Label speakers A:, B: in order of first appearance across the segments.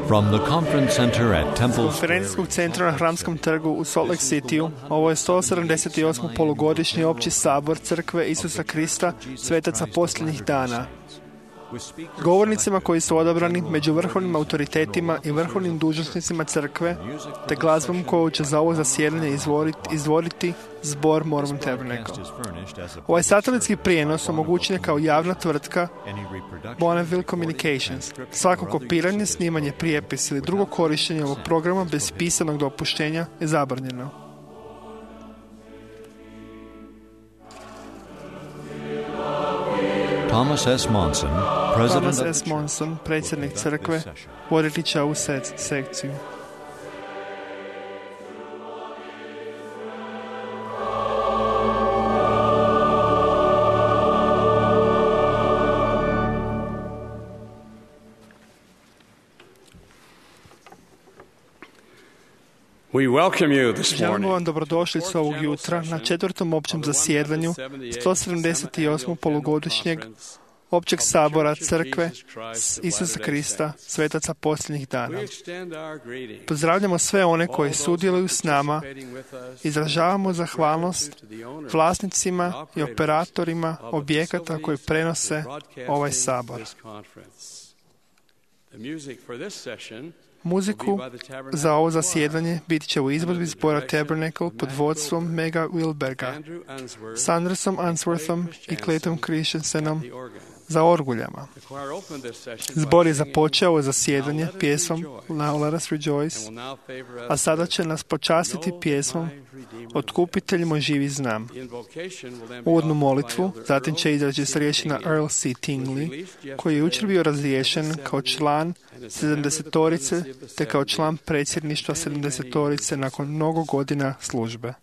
A: From the conference center at Temple
B: konferencijskog centra na Hramskom trgu u Salt Lake Cityu, ovo je 178. polugodišnji opći sabor Crkve Isusa Krista, svetaca posljednjih dana. Govornicima koji su odabrani među vrhovnim autoritetima i vrhovnim dužnosnicima crkve, te glazbom koju će za ovo zasjedanje izvoditi zbor Mormon Tabernacle. Ovaj satelitski prijenos omogućen je kao javna tvrtka Bonneville Communications. Svako kopiranje, snimanje, prijepis ili drugo korištenje ovog programa bez pisanog dopuštenja je zabranjeno.
A: Thomas S.
B: Monson, predsjednik crkve, voditi će ovu sekciju. Želimo vam dobrodošlicu ovog jutra na 4. općem zasjedanju 178. polugodišnjeg općeg sabora Crkve Isusa Krista, svetaca posljednjih dana. Pozdravljamo sve one koji sudjeluju s nama, izražavamo zahvalnost vlasnicima i operatorima objekata koji prenose ovaj sabor. Muziku za ovo zasjedanje bit će u izvedbi zbora Tabernacle pod vodstvom Mega Wilberga, s Andersom Answorthom i Clayton Christensenom za orguljama. Zbor je započeo ovo zasjedanje pjesmom Now Let Us Rejoice, a sada će nas počastiti pjesmom Otkupitelj moj živi znam. Uvodnu molitvu zatim će izreći starješina Earl C. Tingley, koji je jučer bio razriješen kao član 70-torice te kao član predsjedništva 70-torice nakon mnogo godina službe.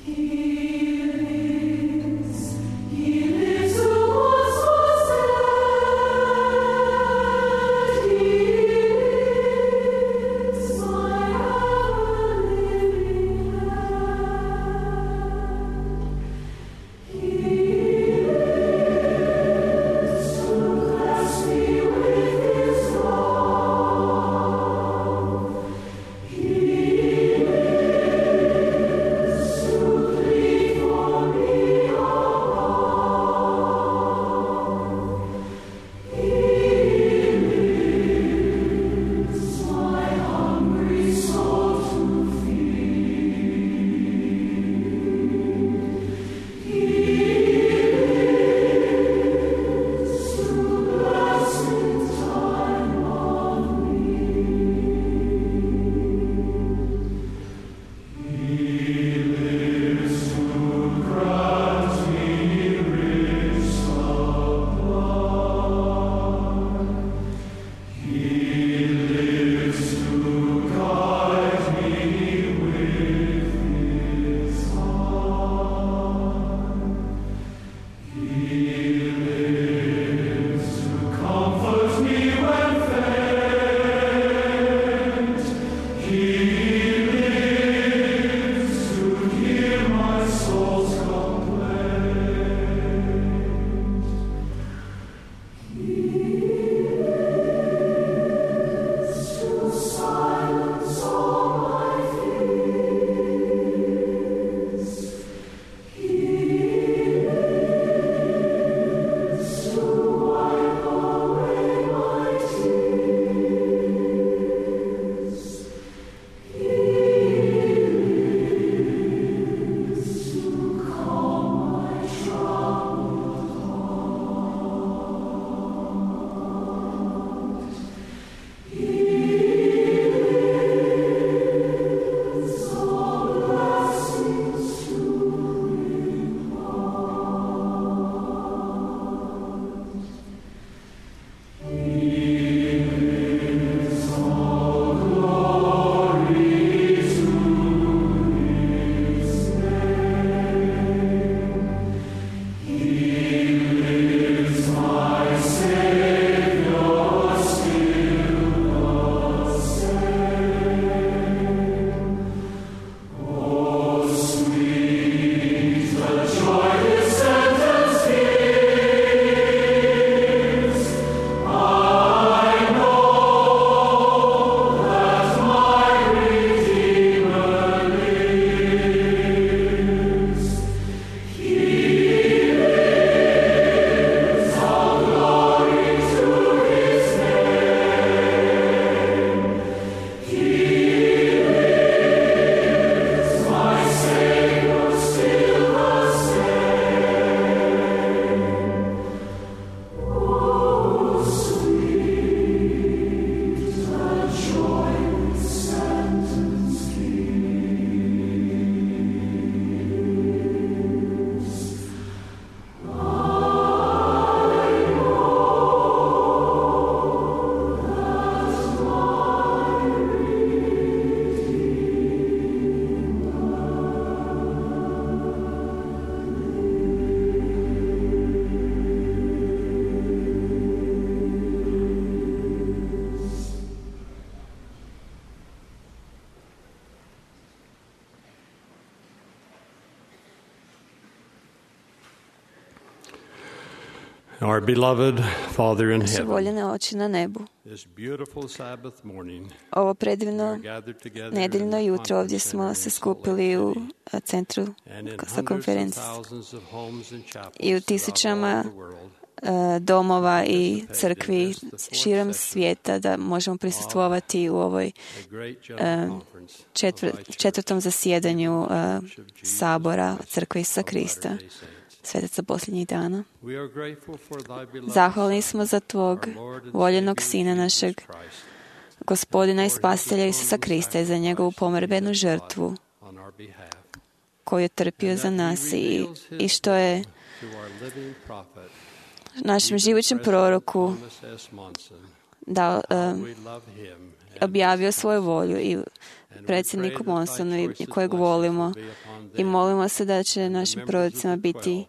C: He Our beloved Father in
D: Naše
C: heaven,
D: voljene oči na nebu.
C: this beautiful Sabbath morning,
D: Ovo predivno
C: we are gathered together in
D: nedeljno
C: the
D: jutro ovdje
C: conference
D: smo
C: center
D: se
C: in Salt
D: skupili
C: Lake
D: u
C: City,
D: centru
C: and in
D: za
C: hundreds of
D: konferenciju
C: thousands of homes and chapels
D: i u
C: throughout
D: tisućama
C: all the world,
D: domova i crkvi širom svijeta da možemo prisustvovati u ovoj
C: a great general conference of thy church,
D: četvrtom zasjedanju
C: Church of Jesus
D: Sabora
C: Christ
D: Crkve Isusa
C: of
D: Krista,
C: Latter-day Saints.
D: svetaca posljednjih dana.
C: We are grateful for thy beloved
D: Zahvalni
C: Son,
D: smo za tvog
C: our Lord and
D: voljenog
C: Savior
D: Sina,
C: Jesus
D: našeg
C: Christ,
D: Gospodina i Spasitelja Isusa Krista i za njegovu pomirbenu žrtvu
C: on our behalf,
D: koju je trpio za nas i što je
C: to our living prophet,
D: našem živućem proroku
C: Thomas S. Monson,
D: dao,
C: we love him, and
D: objavio svoju volju i predsjedniku Monsonu i kojeg volimo i molimo se da će našim prorodicama biti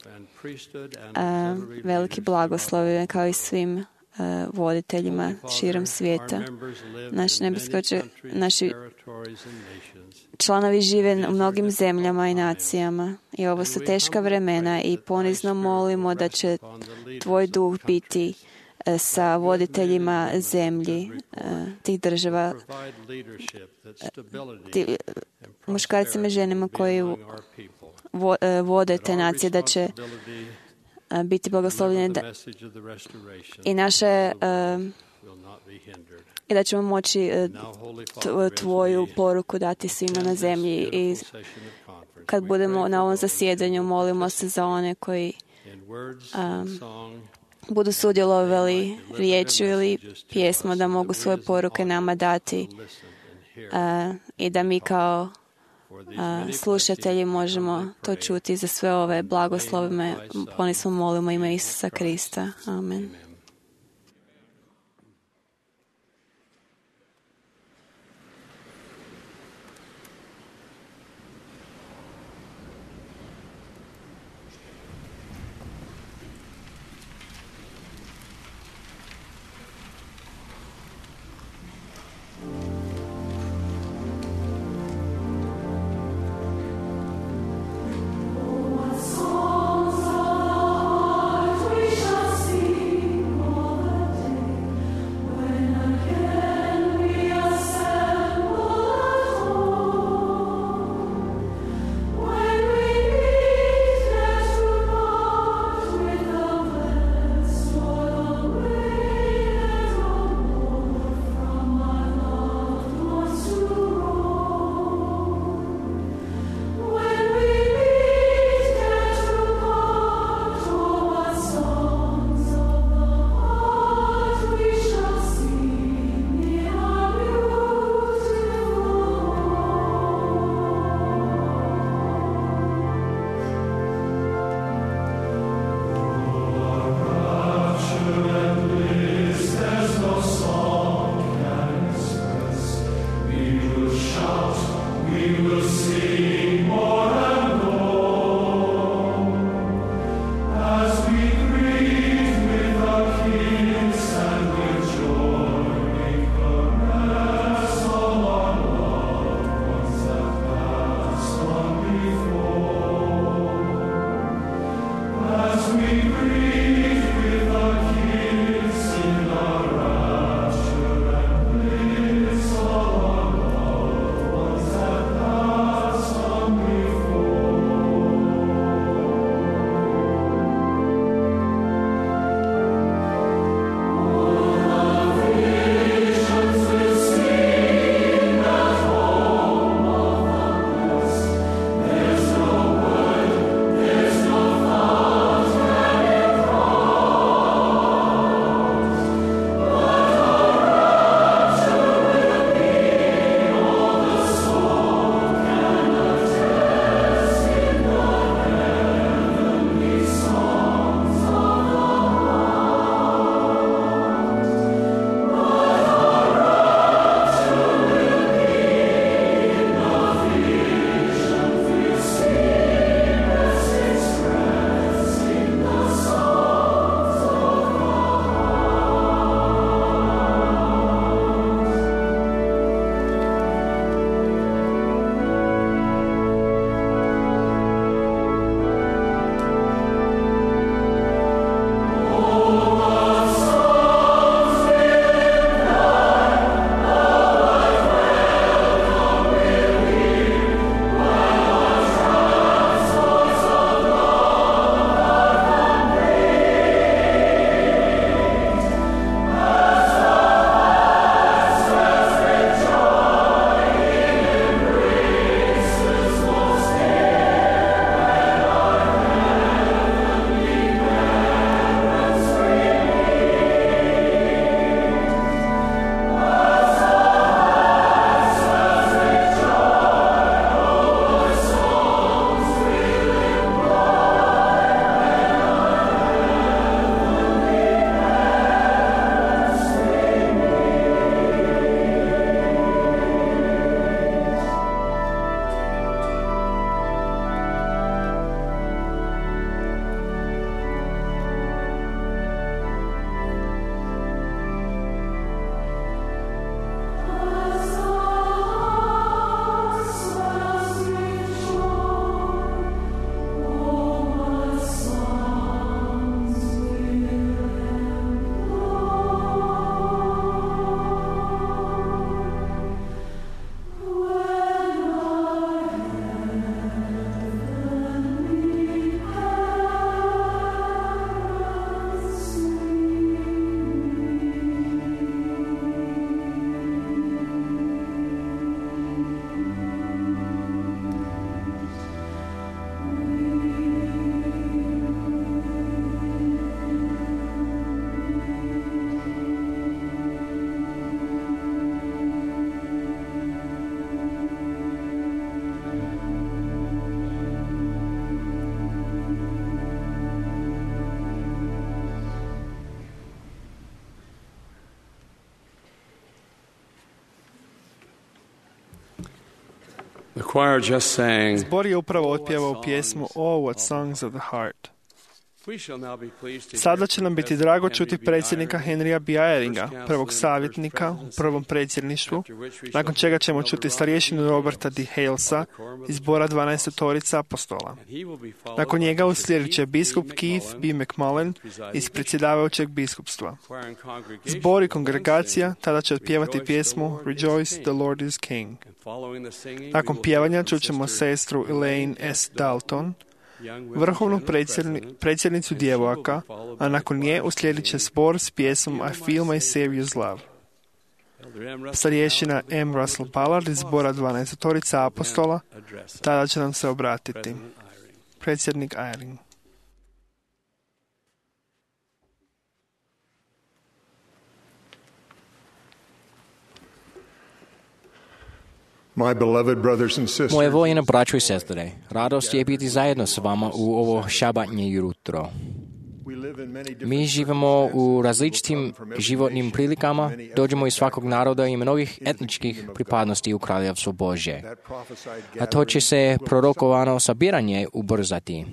D: veliki blagoslovi kao i svim voditeljima širom svijeta. Naši članovi žive u mnogim zemljama i nacijama i ovo su teška vremena i ponizno molimo da će tvoj duh biti sa voditeljima zemlji tih država, muškarcima i ženima koji vode te nacije, da će biti blagoslovljeni i naše i da ćemo moći tvoju poruku dati svima na zemlji. I kad budemo na ovom zasjedanju, molimo se za one koji budu sudjelovali riječju ili pjesmo, da mogu svoje poruke nama dati i da mi kao slušatelji možemo to čuti. Za sve ove blagoslove ponismo molimo ime Isusa Krista. Amen.
E: Songs of we shall sing.
B: Zbor je upravo otpjevao pjesmu Oh, what songs of the heart. Sada će nam biti drago čuti predsjednika Henrya B. Eyringa, prvog savjetnika u prvom predsjedništvu, nakon čega ćemo čuti starješinu Roberta D. Halesa iz zbora 12 apostola. Nakon njega uslijedit će biskup Keith B. McMullen iz predsjedavajućeg biskupstva. Zbor i kongregacija tada će otpjevati pjesmu Rejoice, the Lord is King. Nakon pjevanja čućemo sestru Elaine S. Dalton, vrhovnu predsjednicu djevojaka, a nakon nje uslijedit će zbor s pjesmom I Feel My Savior's Love. Starješina M. Russell Ballard iz zbora 12 apostola tada će nam se obratiti. Predsjednik Eyring.
E: Moje voljene braćo i sestre, radost je biti zajedno s vama u ovo šabatnje jutro. Mi živimo u različitim životnim prilikama, dođemo iz svakog naroda i mnogih etničkih pripadnosti u Kraljevstvo Božje. A to će se prorokovano sabiranje ubrzati.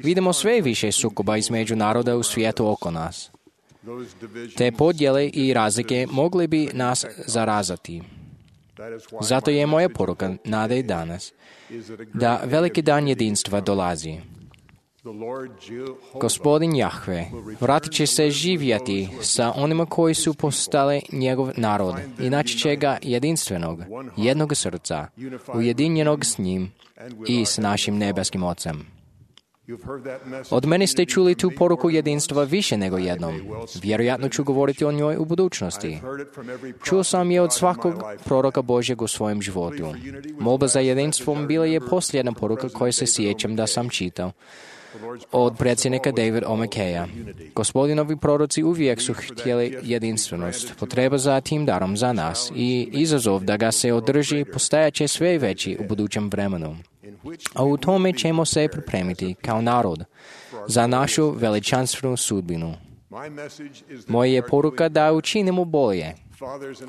E: Vidimo sve više sukoba između naroda u svijetu oko nas. Te podjele i razlike mogli bi nas zarazati. Zato je moja poruka nade i danas da veliki dan jedinstva dolazi. Gospodin Jahve vratit će se živjeti sa onima koji su postali njegov narod i naći će ga jedinstvenog, jednog srca, ujedinjenog s njim i s našim nebeskim Ocem. Od mene ste čuli tu poruku jedinstva više nego jednom. Vjerojatno ću govoriti o njoj u budućnosti. Čuo sam je od svakog proroka Božjeg u svojem životu. Molba za jedinstvom bila je posljedna poruka koju se sjećam da sam čitao od predsjednika David O. McKaya. Gospodinovi proroci uvijek su htjeli jedinstvenost. Potreba za tim darom za nas i izazov da ga se održi postajat će sve veći u budućem vremenu. A u tome ćemo se pripremiti kao narod za našu veličanstvenu sudbinu. Moja je poruka da učinimo bolje.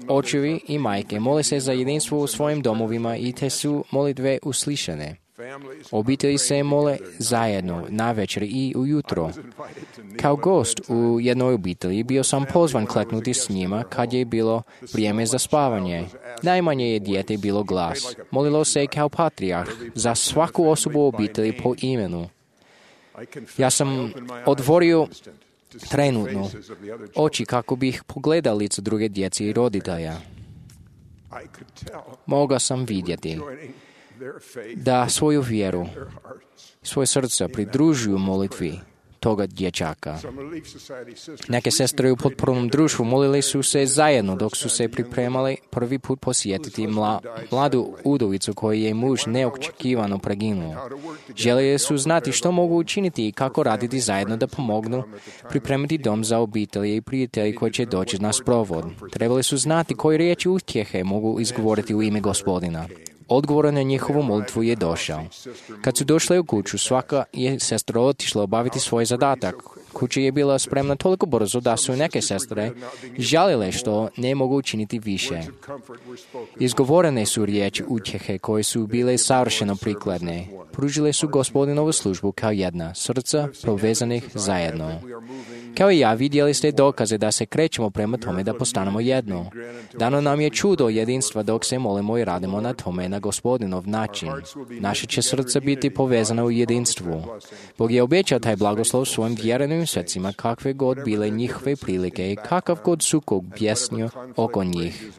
E: Očevi i majke mole se za jedinstvo u svojim domovima i te su molitve uslišane. Obitelji se mole zajedno, navečer i ujutro. Kao gost u jednoj obitelji bio sam pozvan kleknuti s njima kad je bilo vrijeme za spavanje. Najmanje je dijete bilo glas. Molilo se kao patrijarh za svaku osobu u obitelji po imenu. Ja sam otvorio trenutno oči kako bih pogledao lice druge djece i roditelja. Mogao sam vidjeti da svoju vjeru, svoje srce pridružuju molitvi toga dječaka. Neke sestre u potpornom društvu molili su se zajedno dok su se pripremali prvi put posjetiti mladu udovicu koju je muž neočekivano preginuo. Željeli su znati što mogu učiniti i kako raditi zajedno da pomognu pripremiti dom za obitelji i prijatelji koji će doći na sprovod. Trebali su znati koje riječi utjehe mogu izgovoriti u ime Gospodina. Odgovor na njihovu molitvu je došao. Kad su došli u kuću, svaka je sestra otišla obaviti svoj zadatak. Kuća je bila spremna toliko brzo da su neke sestre žalile što ne mogu učiniti više. Izgovorene su riječi utjehe koje su bile savršeno prikladne. Pružile su Gospodinovu službu kao jedna, srca povezanih zajedno. Kao i ja, vidjeli ste dokaze da se krećemo prema tome da postanemo jedno. Dano nam je čudo jedinstva dok se molimo i radimo na tome na Gospodinov način. Naše će srce biti povezano u jedinstvu. Bog je obećao taj blagoslov svojim vjerenim srcima kakve god bile njihove prilike i kakav god sukob bjesnio oko njih.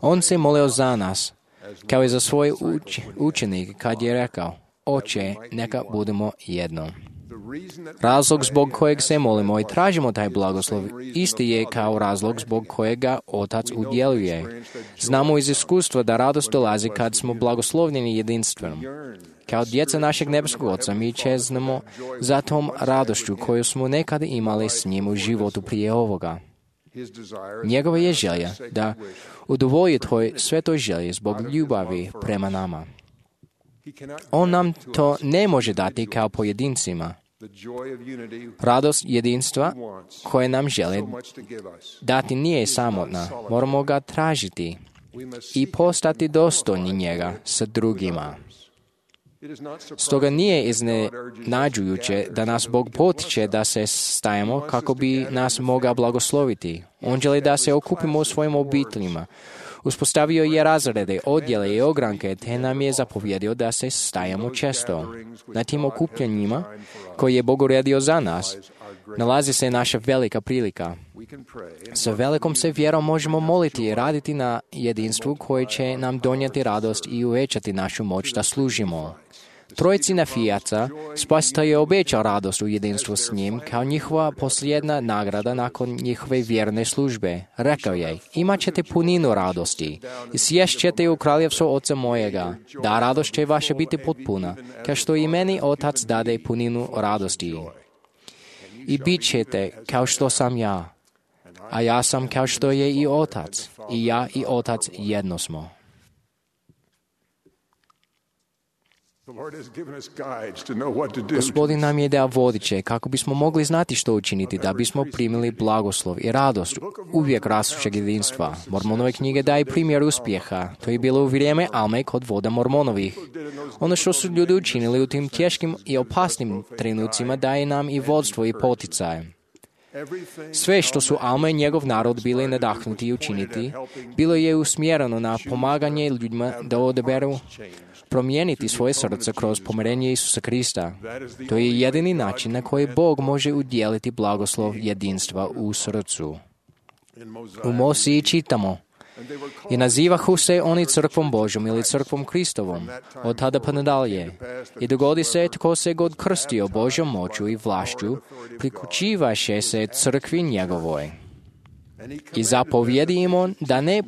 E: On se molio za nas, kao i za svoje učenike kad je rekao, Oče, neka budemo jedno. Razlog zbog kojeg se molimo i tražimo taj blagoslov isti je kao razlog zbog kojega Otac udjeljuje. Znamo iz iskustva da radost dolazi kad smo blagoslovljeni jedinstvenom. Kao djeca našeg nebeskog Oca mi čeznemo za tom radošću koju smo nekad imali s njim u životu prije ovoga. Njegova je želja da udovolji toj svetoj želji zbog ljubavi prema nama. On nam to ne može dati kao pojedincima. Radost jedinstva koje nam žele dati nije samotna. Moramo ga tražiti. i postati dostojni njega sa drugima. Stoga nije iznenađujuće da nas Bog potiče da se stajemo kako bi nas mogao blagosloviti. On želi da se okupimo u svojim obiteljima. Uspostavio je razrede, odjele i ogranke, te nam je zapovjedio da se stajemo često. Na tim okupljanjima, koje je Bog uredio za nas, nalazi se naša velika prilika. Sa velikom se vjerom možemo moliti i raditi na jedinstvu koje će nam donijeti radost i uvećati našu moć da služimo. Trojici Nefijaca Spasitelj je obećao radost u jedinstvu s njim kao njihova posljedna nagrada nakon njihove vjerne službe. Rekao je, imat ćete puninu radosti i sjest ćete u kraljevstvo Oca mojega, da radost će vaša biti potpuna, kao što i meni Otac dade puninu radosti. I bit ćete kao što sam ja, a ja sam kao što je i Otac, i ja i Otac jedno smo. Gospodin nam je dao vodiče kako bismo mogli znati što učiniti da bismo primili blagoslov i radost uvijek rastućeg jedinstva. Mormonove knjige daje primjer uspjeha. To je bilo u vrijeme Alme kod voda Mormonovih. Ono što su ljudi učinili u tim teškim i opasnim trenucima daje nam i vodstvo i poticaj. Sve što su Alma i njegov narod bili nadahnuti učiniti, bilo je usmjereno na pomaganje ljudima da odaberu promijeniti svoje srce kroz pomirenje Isusa Krista. To je jedini način na koji Bog može udjeliti blagoslov jedinstva u srcu. U Mosiji čitamo, i nazivahu se oni crkvom Božom ili crkvom Kristovom, od tada pa nadalje. I dogodi se tko se god krstio Božjom moću i vlašću, priključivaše se crkvi njegovoj. I zapovjedi im on da ne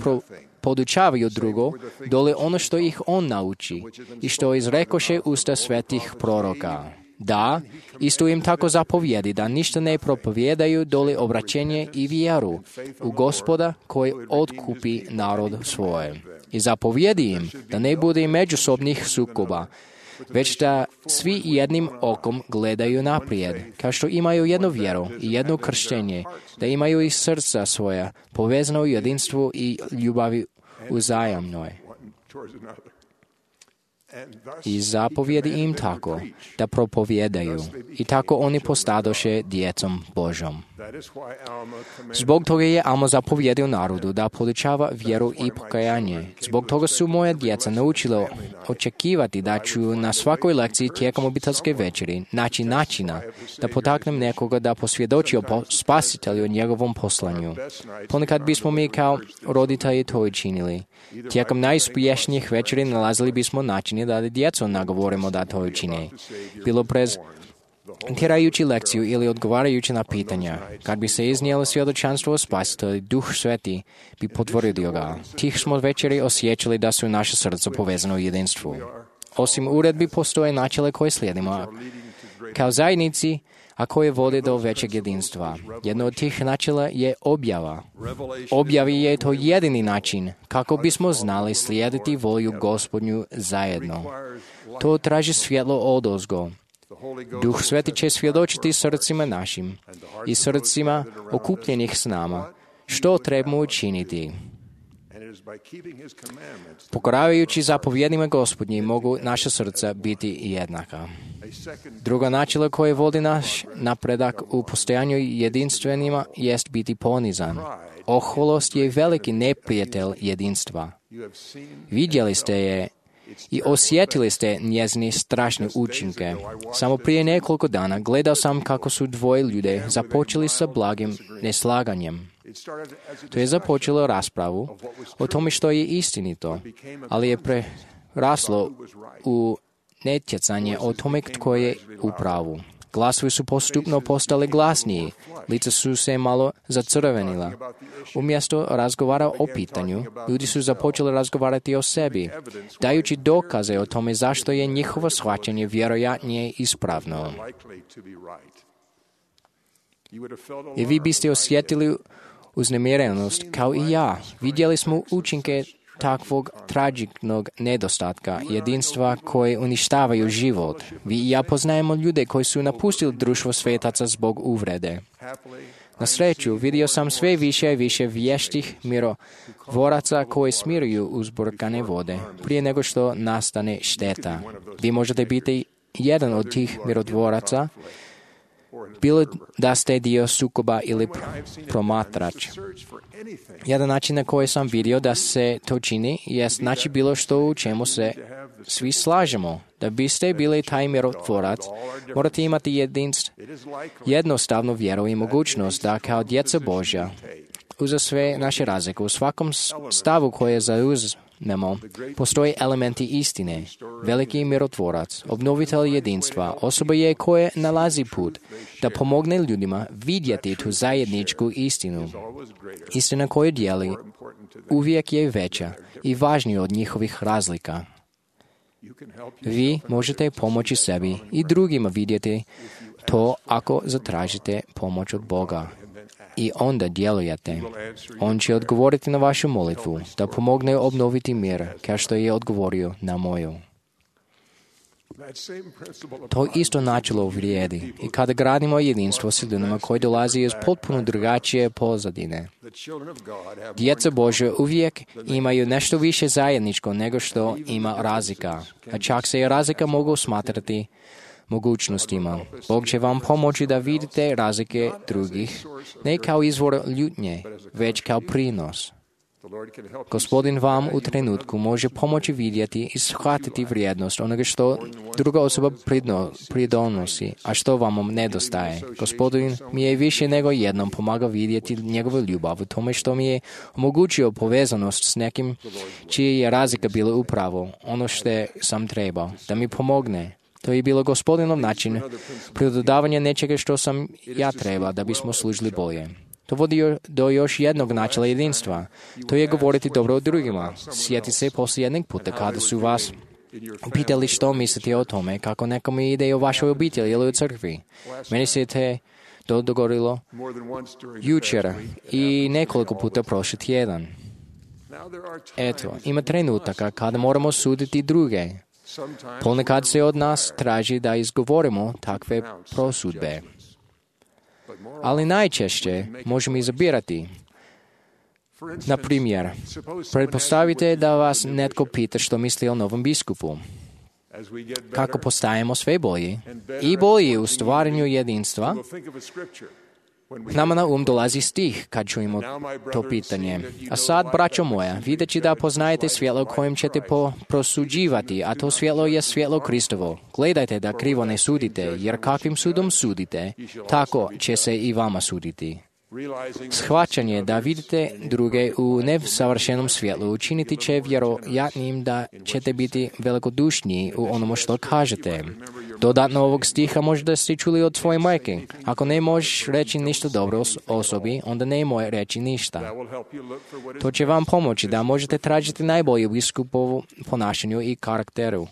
E: podučavaju drugo, dole ono što ih on nauči i što izrekoše usta svetih proroka. Da, isto im tako zapovjedi da ništa ne propovijedaju dole obraćenje i vjeru u Gospoda koji otkupi narod svoje. I zapovjedi im da ne bude međusobnih sukoba, već da svi jednim okom gledaju naprijed, kao što imaju jednu vjeru i jedno krštenje, da imaju i srca svoja povezano u jedinstvu i ljubavi uzajamnoj. I zapovjedi im tako, da propovijedaju, i tako oni postadoše djecom Božom. Zbog toga je Alma zapovjedio narodu da podučava vjeru i pokajanje. Zbog toga su moja djeca naučila očekivati da ću na svakoj lekciji tijekom obiteljske večeri naći načina da potaknem nekoga da posvjedoči o Spasitelju o njegovom poslanju. Ponekad bismo mi kao roditelji to učinili. Tijekom najuspješnijih večeri nalazili bismo načine da djecu nagovorimo da to učine. Bilo prez tjerajući lekciju ili odgovarajući na pitanja. Kad bi se iznijelo svjedočanstvo o Spasitelju, Duh Sveti bi potvrdio ga. Tih smo večeri osjećali da su naše srca povezano u jedinstvu. Osim uredbi postoje načela koje slijedimo kao zajednici, a koje vode do većeg jedinstva. Jedno od tih načela je objava. Objavi je to jedini način kako bismo znali slijediti volju Gospodnju zajedno. To traži svjetlo odozgo. Duh Sveti će svjedočiti srcima našim i srcima okupljenih s nama što trebamo učiniti. Pokoravajući zapovjedima Gospodnjim mogu naša srca biti jednaka. Drugo načelo koje vodi naš napredak u postojanju jedinstvenima jest biti ponizan. Oholost je veliki neprijatelj jedinstva. Vidjeli ste je i osjetili ste njezine strašne učinke. Samo prije nekoliko dana gledao sam kako su dvoje ljude započeli sa blagim neslaganjem. To je započelo raspravu o tome što je istinito, ali je preraslo u netjecanje o tome tko je u pravu. Glasovi su postupno postali glasniji, lica su se malo zacrvenila. Umjesto razgovara o pitanju, ljudi su započeli razgovarati o sebi, dajući dokaze o tome zašto je njihovo shvaćanje vjerojatnije ispravno. I vi biste osjetili uznemirenost kao i ja. Vidjeli smo učinke takvog tragičnog nedostatka, jedinstva koje uništavaju život. Vi i ja poznajemo ljude koji su napustili društvo svetaca zbog uvrede. Na sreću, vidio sam sve više i više vještih mirotvoraca koji smiruju uzburkane vode prije nego što nastane šteta. Vi možete biti jedan od tih mirotvoraca, bilo da ste dio sukoba ili promatrač. Jedan način na koji sam vidio da se to čini je znači bilo što u čemu se svi slažemo. Da biste bili taj mirotvorac, morate imati jednostavnu vjeru i mogućnost da kao djeca Božja, uza sve naše razlike, u svakom stavu koje zauzmemo, postoje elementi istine. Veliki mirotvorac, obnovitelj jedinstva, osoba je koje nalazi put da pomogne ljudima vidjeti tu zajedničku istinu. Istina koju dijeli uvijek je veća i važnija od njihovih razlika. Vi možete pomoći sebi i drugima vidjeti to ako zatražite pomoć od Boga. I onda djelujete. On će odgovoriti na vašu molitvu, da pomogne obnoviti mir, kao što je odgovorio na moju. To isto načelo vrijedi i kada gradimo jedinstvo s ljudima koji dolazi iz potpuno drugačije pozadine. Djeca Božja uvijek imaju nešto više zajedničko nego što ima razlika, a čak se i razlika mogu smatrati mogućnostima. Bog će vam pomoći da vidite razlike drugih, ne kao izvor ljutnje, već kao prinos. Gospodin vam u trenutku može pomoći vidjeti i shvatiti vrijednost onoga što druga osoba pridonosi, a što vam nedostaje. Gospodin mi je više nego jednom pomagao vidjeti njegovu ljubav u tome što mi je omogućio povezanost s nekim čije je razlika bila upravo ono što sam trebao, da mi pomogne. To je bilo Gospodinov način pridodavanja nečega što sam ja trebao da bismo služili bolje. To vodi do još jednog načela jedinstva. To je govoriti dobro o drugima. Sjeti se poslije jednog puta kada su vas pitali što mislite o tome, kako nekome ide o vašoj obitelji ili u crkvi. Meni se to dogodilo jučer i nekoliko puta prošli tjedan. Eto, ima trenutaka kada moramo suditi druge. Ponekad se od nas traži da izgovorimo takve prosudbe. Ali najčešće možemo izabirati. Na primjer, pretpostavite da vas netko pita što misli o novom biskupu. Kako postajemo sve bolji i bolji u stvaranju jedinstva, nama na dolazi stih kad čujemo to pitanje. A sad, braćo moja, videći da poznajete svjetlo kojim ćete prosuđivati, a to svjetlo je svjetlo Kristovo. Gledajte da krivo ne sudite, jer kakvim sudom sudite, tako će se i vama suditi. Shvaćanje da vidite druge u nesavršenom svjetlu učiniti će vjerojatnim da ćete biti velikodušniji u onomu što kažete. Dodatno ovog stiha možda ste čuli od svoje majke. Ako ne možeš reći ništa dobro osobi, onda nemoj reći ništa. To će vam pomoći da možete tražiti najbolje u biskupovu ponašanju i karakteru.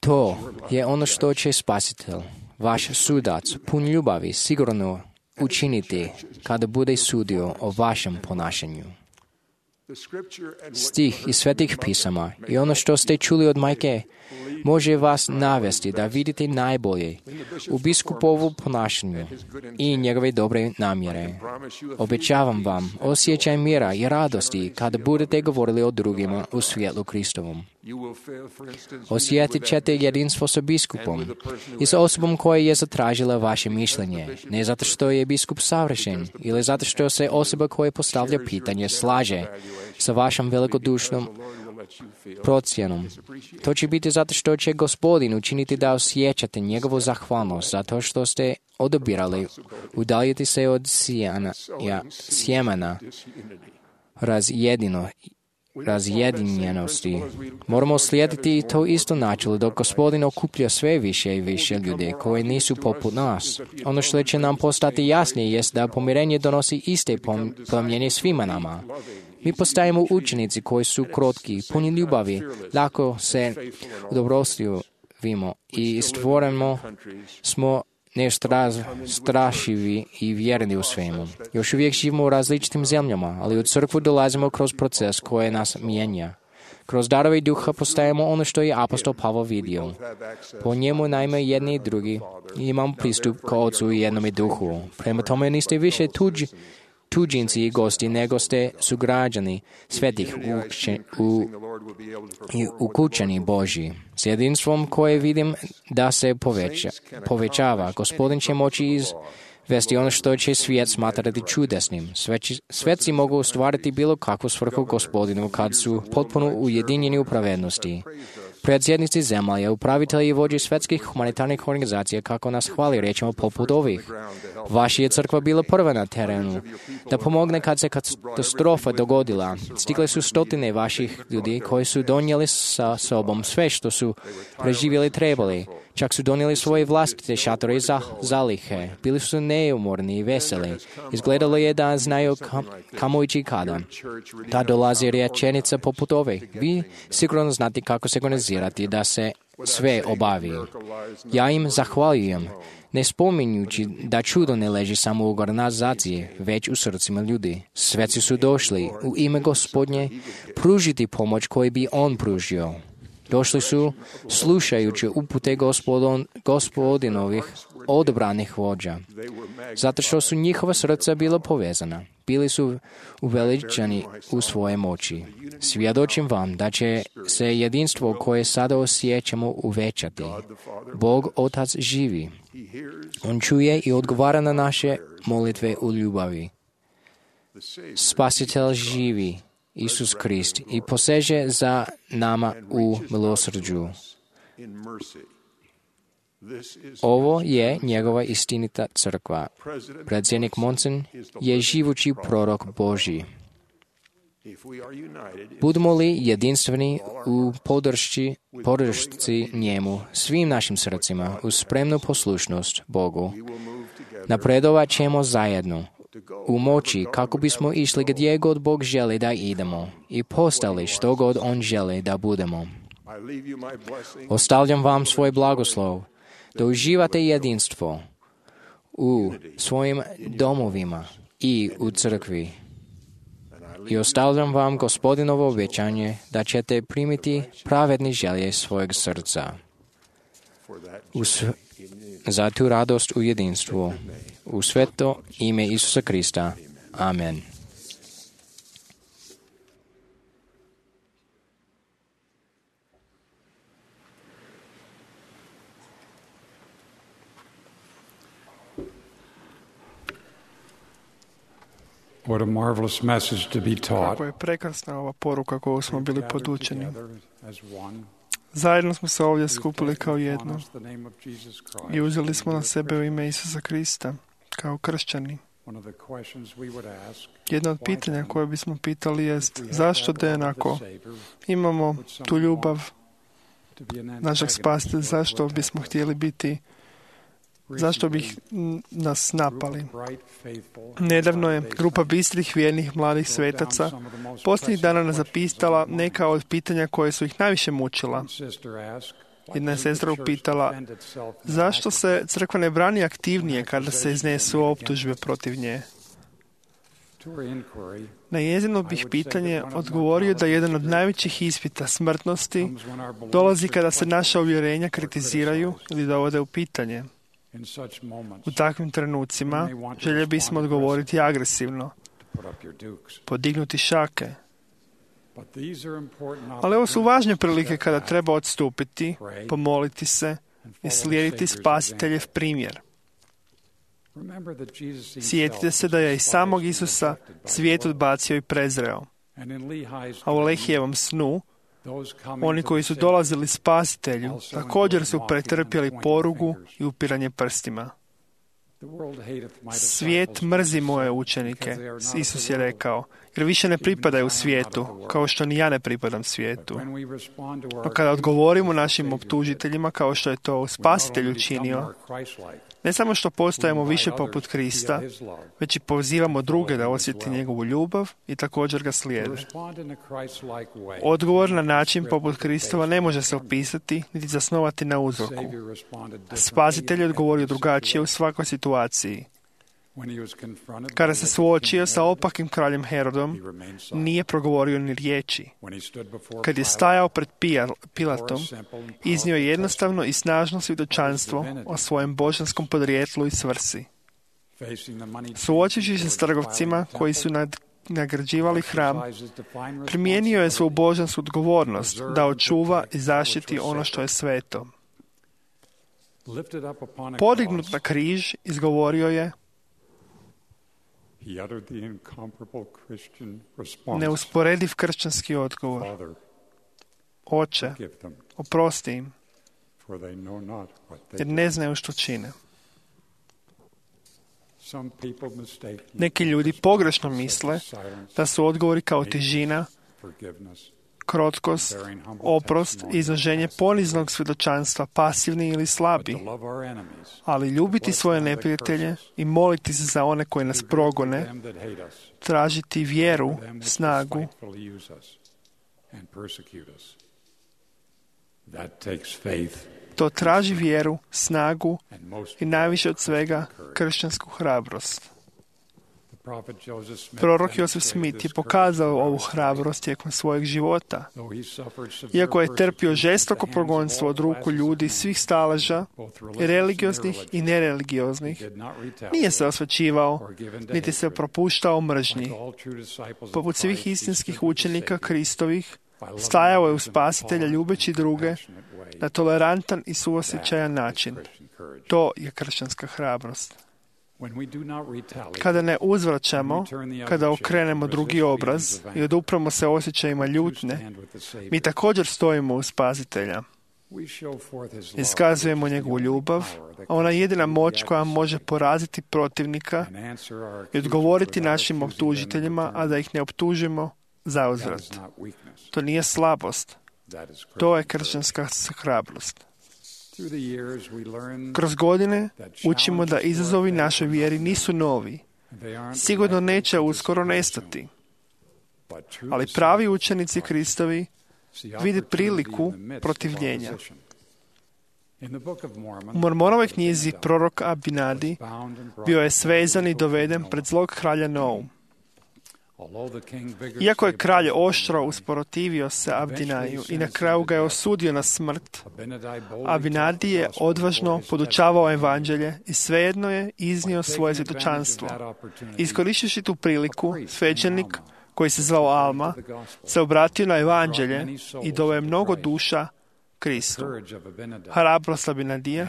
E: To je ono što će Spasitelj, vaš sudac, pun ljubavi, sigurno učiniti kada bude sudio o vašem ponašanju. Stih iz svetih pisama i ono što ste čuli od majke može vas navesti da vidite najbolje u biskupovu ponašanju i njegove dobre namjere. Obećavam vam osjećaj mira i radosti kada budete govorili o drugima u svjetlu Kristovom. Osjetit ćete jedinstvo sa biskupom i sa osobom koja je zatražila vaše mišljenje, ne zato što je biskup savršen ili zato što se osoba koja postavlja pitanje slaže sa vašom velikodušnom procjenom. To će biti zato što će Gospodin učiniti da osjećate njegovu zahvalnost zato što ste odabirali udaljiti se od sjemena razjedinjenosti. Moramo slijediti to isto načelo dok Gospodin okuplja sve više i više ljudi koji nisu poput nas. Ono što će nam postati jasnije jest da pomirenje donosi iste promjene svima nama. Mi postajemo učenici koji su krotki, puni ljubavi, lako se udobrostrivimo i stvoreno smo strašivi i vjerni u svemu. Još uvijek živimo u različitim zemljama, ali u crkvu dolazimo kroz proces koji nas mijenja. Kroz darove duha postajemo ono što je apostol Pavao vidio. Po njemu naime jedni i drugi imamo pristup k Otcu i jednome duhu. Prema tome niste više tuđinci i gosti, nego ste sugrađani svetih ukućani Božji. S jedinstvom koje vidim da se povećava, Gospodin će moći izvesti ono što će svijet smatrati čudesnim. Sveci mogu ostvariti bilo kakvu svrhu Gospodinu kad su potpuno ujedinjeni u pravednosti. Predsjednici zemalja, upravitelji i vođe svetskih humanitarnih organizacija, kako nas hvali riječima poput ovih. Vaša je crkva bila prva na terenu da pomogne kad se katastrofa dogodila. Stigle su stotine vaših ljudi koji su donijeli sa sobom sve što su preživjeli trebali. Čak su donijeli svoje vlastite šatore i zalihe. Bili su neumorni i veseli. Izgledalo je da znaju kamo ići kada. Ta dolazi rečenica poput ove. Vi sigurno znate kako se organizirati da se sve obavi. Ja im zahvaljujem, ne spominjući da čudo ne leži samo u organizaciji, već u srcima ljudi. Sveci su došli u ime Gospodnje pružiti pomoć koju bi On pružio. Došli su slušajući upute Gospodinovih odabranih vođa, zato što su njihova srca bila povezana. Bili su uveličani u svoje moći. Svjedočim vam da će se jedinstvo koje sada osjećamo uvećati. Bog Otac živi. On čuje i odgovara na naše molitve u ljubavi. Spasitelj živi, Isus Krist, i poseže za nama u milosrđu. Ovo je njegova istinita crkva. Predsjednik Monson je živući prorok Božji. Budemo li jedinstveni u podršci njemu, svim našim srcima, uz spremnu poslušnost Bogu, napredovat ćemo zajedno u moći kako bismo išli gdje god Bog želi da idemo i postali što god On želi da budemo. Ostavljam vam svoj blagoslov da uživate jedinstvo u svojim domovima i u crkvi. I ostavljam vam Gospodinovo obećanje da ćete primiti pravedne želje svojeg srca. Za tu radost u jedinstvu. U sveto ime Isusa Krista. Amen.
F: What a marvelous message to be taught.
B: Kako je prekrasna ova poruka koju smo bili podučeni. Zajedno smo se ovdje skupili kao jedno i uzeli smo na sebe u ime Isusa Krista kao kršćani. Jedno od pitanja koje bismo pitali jest zašto ako imamo tu ljubav našeg spasitelja, zašto bismo htjeli biti, zašto bi nas napali. Nedavno je grupa bistrih, vjernih, mladih svetaca posljednjih dana nas zapitala neka od pitanja koje su ih najviše mučila. Jedna je sestra upitala zašto se crkva ne brani aktivnije kada se iznesu optužbe protiv nje. Na njezino bih pitanje odgovorio da jedan od najvećih ispita smrtnosti dolazi kada se naša uvjerenja kritiziraju ili dovode u pitanje. U takvim trenucima željeli bismo odgovoriti agresivno, podignuti šake. Ali ovo su važne prilike kada treba odstupiti, pomoliti se i slijediti Spasiteljev primjer. Sjetite se da je i samog Isusa svijet odbacio i prezreo. A u Lehijevom snu oni koji su dolazili Spasitelju također su pretrpjeli porugu i upiranje prstima. Svijet mrzi moje učenike, Isus je rekao, jer više ne pripadaju svijetu, kao što ni ja ne pripadam svijetu. No kada odgovorimo našim optužiteljima kao što je to Spasitelj učinio, ne samo što postajemo više poput Krista, već i pozivamo druge da osjeti njegovu ljubav i također ga slijede. Odgovor na način poput Kristova ne može se opisati niti zasnovati na uzroku. Spasitelj je odgovorio drugačije u svakoj situaciji. Kada se suočio sa opakim kraljem Herodom, nije progovorio ni riječi. Kad je stajao pred Pilatom, iznio je jednostavno i snažno svjedočanstvo o svojem božanskom podrijetlu i svrsi. Suočivši se s trgovcima koji su nagrađivali hram, primijenio je svoju božansku odgovornost da očuva i zaštiti ono što je sveto. Podignut na križ, izgovorio je neusporediv kršćanski odgovor. Oče, oprosti im, jer ne znaju što čine. Neki ljudi pogrešno misle da su odgovori kao tižina, krotkost, oprost i izloženje poniznog svjedočanstva pasivni ili slabi. Ali ljubiti svoje neprijatelje i moliti se za one koji nas progone, tražiti vjeru, snagu, to traži vjeru, snagu i najviše od svega kršćansku hrabrost. Prorok Joseph Smith je pokazao ovu hrabrost tijekom svojeg života. Iako je trpio žestoko progonstvo od ruku ljudi svih staleža, religioznih i nereligioznih, nije se osvećivao, niti se propuštao mržnji. Poput svih istinskih učenika Kristovih, stajao je u Spasitelja ljubeći druge na tolerantan i suosjećajan način. To je kršćanska hrabrost. Kada ne uzvraćamo, kada okrenemo drugi obraz i odupremo se osjećajima ljutnje, mi također stojimo uz Spasitelja. Iskazujemo njegovu ljubav, a ona je jedina moć koja može poraziti protivnika i odgovoriti našim optužiteljima, a da ih ne optužimo zauzvrat. To nije slabost, to je kršćanska hrabrost. Kroz godine učimo da izazovi našoj vjeri nisu novi. Sigurno neće uskoro nestati. Ali pravi učenici Kristovi vide priliku protivljenja. U Mormonovoj knjizi prorok Abinadi bio je svezan i doveden pred zlog kralja Noum. Iako je kralj oštro usprotivio se Abdinaju i na kraju ga je osudio na smrt, Abinadi je odvažno podučavao evanđelje i svejedno je iznio svoje svjedočanstvo. Iskoristivši tu priliku, svećenik, koji se zvao Alma, se obratio na evanđelje i doveo je mnogo duša Kristu. Hrabrost Abinadija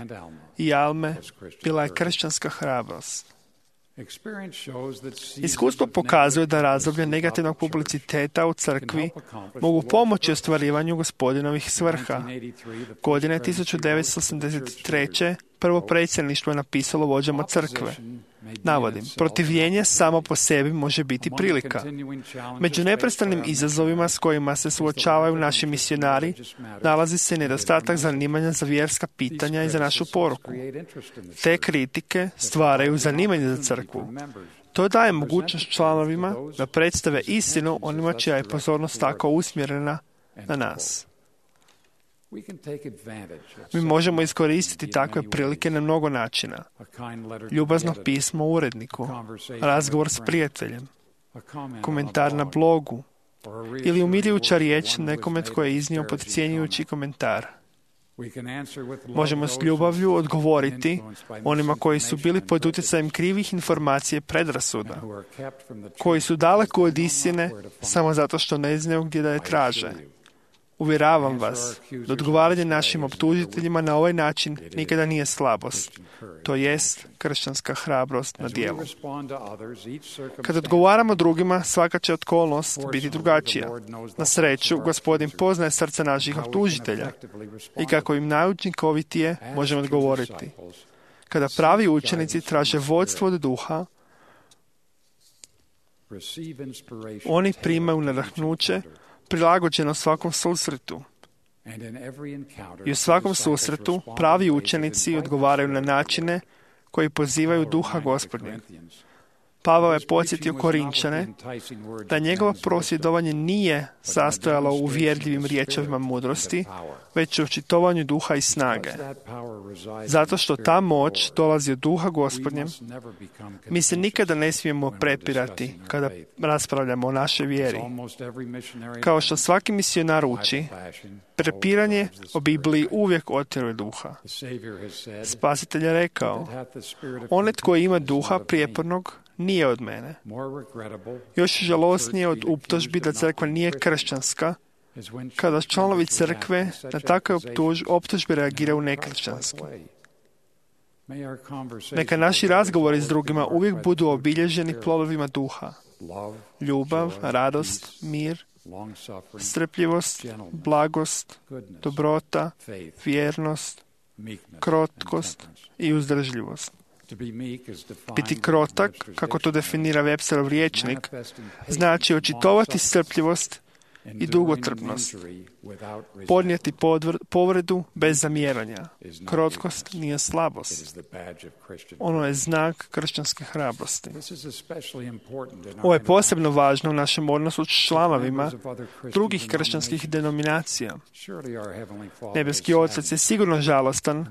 B: i Alme bila je kršćanska hrabrost. Iskustvo pokazuje da razdoblje negativnog publiciteta u crkvi mogu pomoći ostvarivanju Gospodinovih svrha. Godine 1983. prvo predsjedništvo je napisalo vođama crkve. Navodim, protivljenje samo po sebi može biti prilika. Među neprestanim izazovima s kojima se suočavaju naši misionari nalazi se nedostatak zanimanja za vjerska pitanja i za našu poruku. Te kritike stvaraju zanimanje za crkvu. To daje mogućnost članovima da predstave istinu onima čija je pozornost tako usmjerena na nas. Mi možemo iskoristiti takve prilike na mnogo načina. Ljubazno pismo uredniku, razgovor s prijateljem, komentar na blogu ili umiljujuća riječ nekome tko je iznio podcjenjujući komentar. Možemo s ljubavlju odgovoriti onima koji su bili pod utjecajem krivih informacija i predrasuda, koji su daleko od istine samo zato što ne znaju gdje da je traže. Uvjeravam vas da odgovaranje našim optužiteljima na ovaj način nikada nije slabost. To jest kršćanska hrabrost na djelu. Kad odgovaramo drugima, svaka će okolnost biti drugačija. Na sreću, Gospodin poznaje srce naših optužitelja i kako im najučinkovitije možemo odgovoriti. Kada pravi učenici traže vodstvo od duha, Oni primaju nadahnuće prilagođeno svakom susretu. I u svakom susretu pravi učenici odgovaraju na načine koji pozivaju duha Gospodnjeg. Pavao je podsjetio Korinčane da njegovo prosvjedovanje nije sastojalo u uvjerljivim riječima mudrosti, već u očitovanju duha i snage. Zato što ta moć dolazi od duha Gospodnjem, mi se nikada ne smijemo prepirati kada raspravljamo o našoj vjeri. Kao što svaki misionar uči, prepiranje o Bibliji uvijek otjeruje duha. Spasitelj je rekao, onaj tko ima duha prijepornog nije od mene. Još žalosnije od optužbi da crkva nije kršćanska, kada članovi crkve na takve optužbe reagiraju nekršćanski. Neka naši razgovori s drugima uvijek budu obilježeni plodovima duha. Ljubav, radost, mir, strpljivost, blagost, dobrota, vjernost, krotkost i uzdržljivost. Biti krotak, kako to definira Websterov rječnik, znači očitovati strpljivost i dugotrpnost, podnijeti povredu bez zamjeranja. Krotkost nije slabost. Ono je znak kršćanske hrabrosti. Ovo je posebno važno u našem odnosu s članovima drugih kršćanskih denominacija. Nebeski Otac je sigurno žalostan,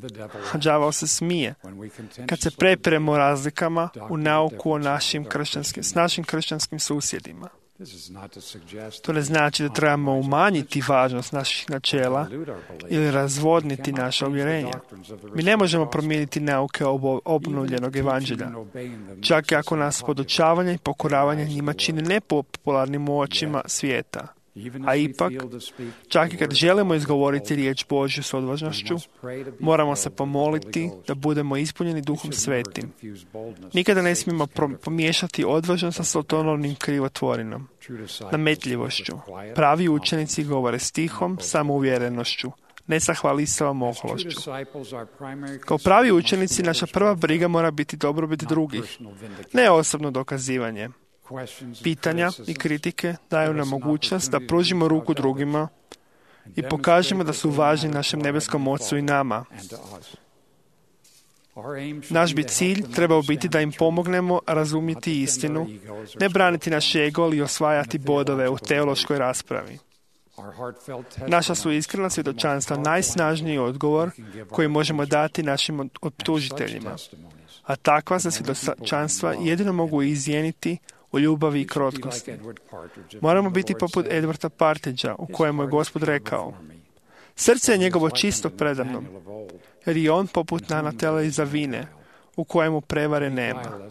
B: a đavao se smije, kad se prepiremo o razlikama u nauku o s našim kršćanskim susjedima. To ne znači da trebamo umanjiti važnost naših načela ili razvodniti naša uvjerenja. Mi ne možemo promijeniti nauke obnovljenog evanđelja, čak i ako nas podučavanje i pokoravanje njima čini nepopularnim u očima svijeta. A ipak, čak i kad želimo izgovoriti riječ Božju s odvažnošću, moramo se pomoliti da budemo ispunjeni Duhom Svetim. Nikada ne smijemo pomiješati odvažnost sa sotonovnim krivotvorinom, nametljivošću. Pravi učenici govore stihom, samouvjerenošću, ne sa hvalisavom ohološću. Kao pravi učenici, naša prva briga mora biti dobrobit drugih, ne osobno dokazivanje. Pitanja i kritike daju nam mogućnost da pružimo ruku drugima i pokažemo da su važni našem nebeskom Ocu i nama. Naš bi cilj trebao biti da im pomognemo razumjeti istinu, ne braniti naš ego ili osvajati bodove u teološkoj raspravi. Naša su iskrena svjedočanstva najsnažniji odgovor koji možemo dati našim optužiteljima, a takva se svjedočanstva jedino mogu izjeniti u ljubavi i krotkosti. Moramo biti poput Edwarda Partridgea, u kojemu je Gospod rekao: srce je njegovo čisto predamnom, jer je on poput nanatela iz Avine, u kojemu prevare nema.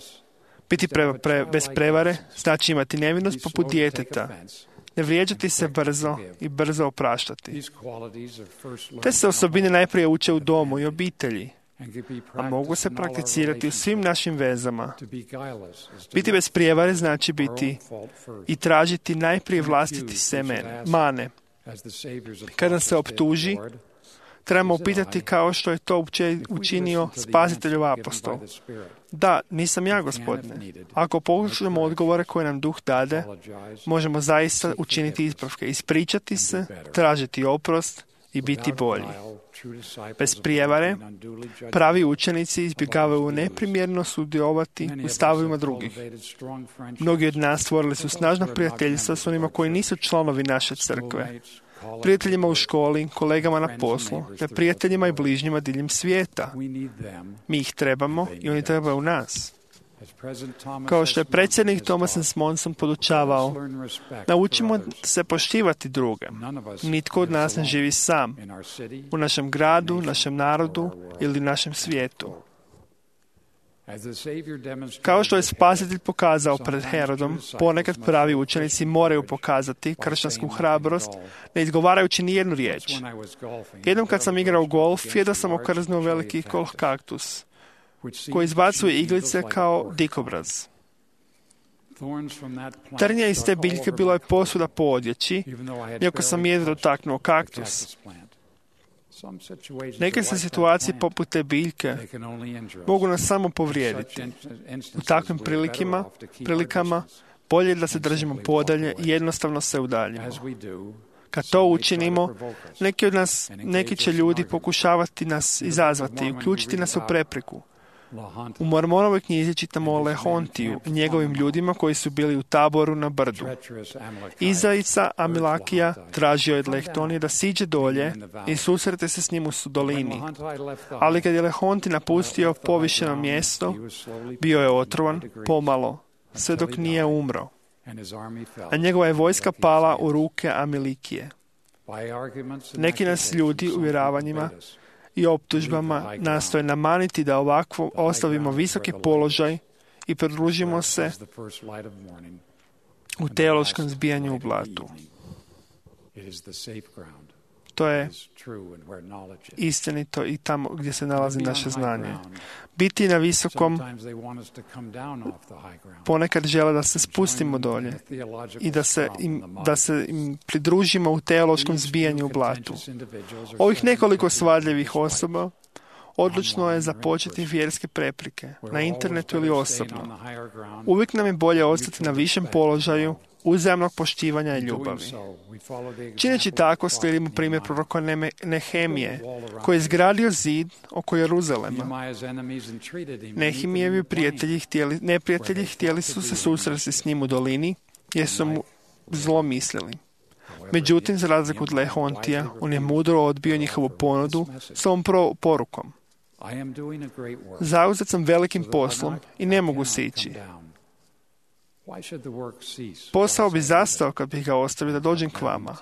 B: Biti bez prevare znači imati nevinost poput djeteta, ne vrijeđati se brzo i brzo opraštati. Te se osobine najprije uče u domu i obitelji, a mogu se prakticirati u svim našim vezama. Biti bez prijevare znači biti i tražiti najprije vlastiti mane. Kada se optuži, trebamo upitati kao što je to učinio Spasiteljov apostol. Da, nisam ja, Gospodine. Ako poslušamo odgovore koje nam Duh dade, možemo zaista učiniti ispravke, ispričati se, tražiti oprost i biti bolji. Bez prijevare, pravi učenici izbjegavaju neprimjerno sudjelovati u stavovima drugih. Mnogi od nas stvorili su snažna prijateljstva s onima koji nisu članovi naše crkve, prijateljima u školi, kolegama na poslu, te prijateljima i bližnjima diljem svijeta. Mi ih trebamo i oni trebaju nas. Kao što je predsjednik Thomas S. Monson podučavao, naučimo se poštivati druge. Nitko od nas ne živi sam, u našem gradu, našem narodu ili našem svijetu. Kao što je Spasitelj pokazao pred Herodom, ponekad pravi učenici moraju pokazati kršćansku hrabrost, ne izgovarajući nijednu riječ. Jednom kad sam igrao golf, jedva sam okrznuo veliki kaktus, koji izbacuje iglice kao dikobraz. Trnja iz te biljke bilo je posuda po odjeći, iako sam jedva dotaknuo kaktus. Neke se situacije poput te biljke mogu nas samo povrijediti. U takvim prilikama Bolje je da se držimo podalje i jednostavno se udaljimo. Kad to učinimo, neki će ljudi pokušavati nas izazvati i uključiti nas u prepreku. U Mormonovoj knjizi čitamo o Lehontiju i njegovim ljudima koji su bili u taboru na brdu. Izdajica Amilakija tražio je od Lehtonija da siđe dolje i susrete se s njim u dolini. Ali kad je Lehonti napustio povišeno mjesto, bio je otrovan pomalo, sve dok nije umro. A njegova je vojska pala u ruke Amilikije. Neki nas ljudi uvjeravanjima i optužbama nastoje namaniti da ovako ostavimo visoki položaj i pridružimo se u teološkom zbijanju u blatu. To je istinito i tamo gdje se nalazi naše znanje. Biti na visokom, ponekad žele da se spustimo dolje i da se im pridružimo u teološkom zbijanju u blatu. Ovih nekoliko svadljivih osoba odlučno je započeti vjerske prepreke, na internetu ili osobno. Uvijek nam je bolje ostati na višem položaju uzajamnog poštivanja i ljubavi. Čineći tako, slijedimo primjer proroka Nehemije, koji je izgradio zid oko Jeruzalema. Nehemijevi neprijatelji htjeli su se susresti s njim u dolini, jer su mu zlo mislili. Međutim, za razliku od Lehontija, on je mudro odbio njihovu ponudu s ovom porukom. Zauzet sam velikim poslom i ne mogu sići. Posao bi zastao kad bih ga ostavio da dođem k vama.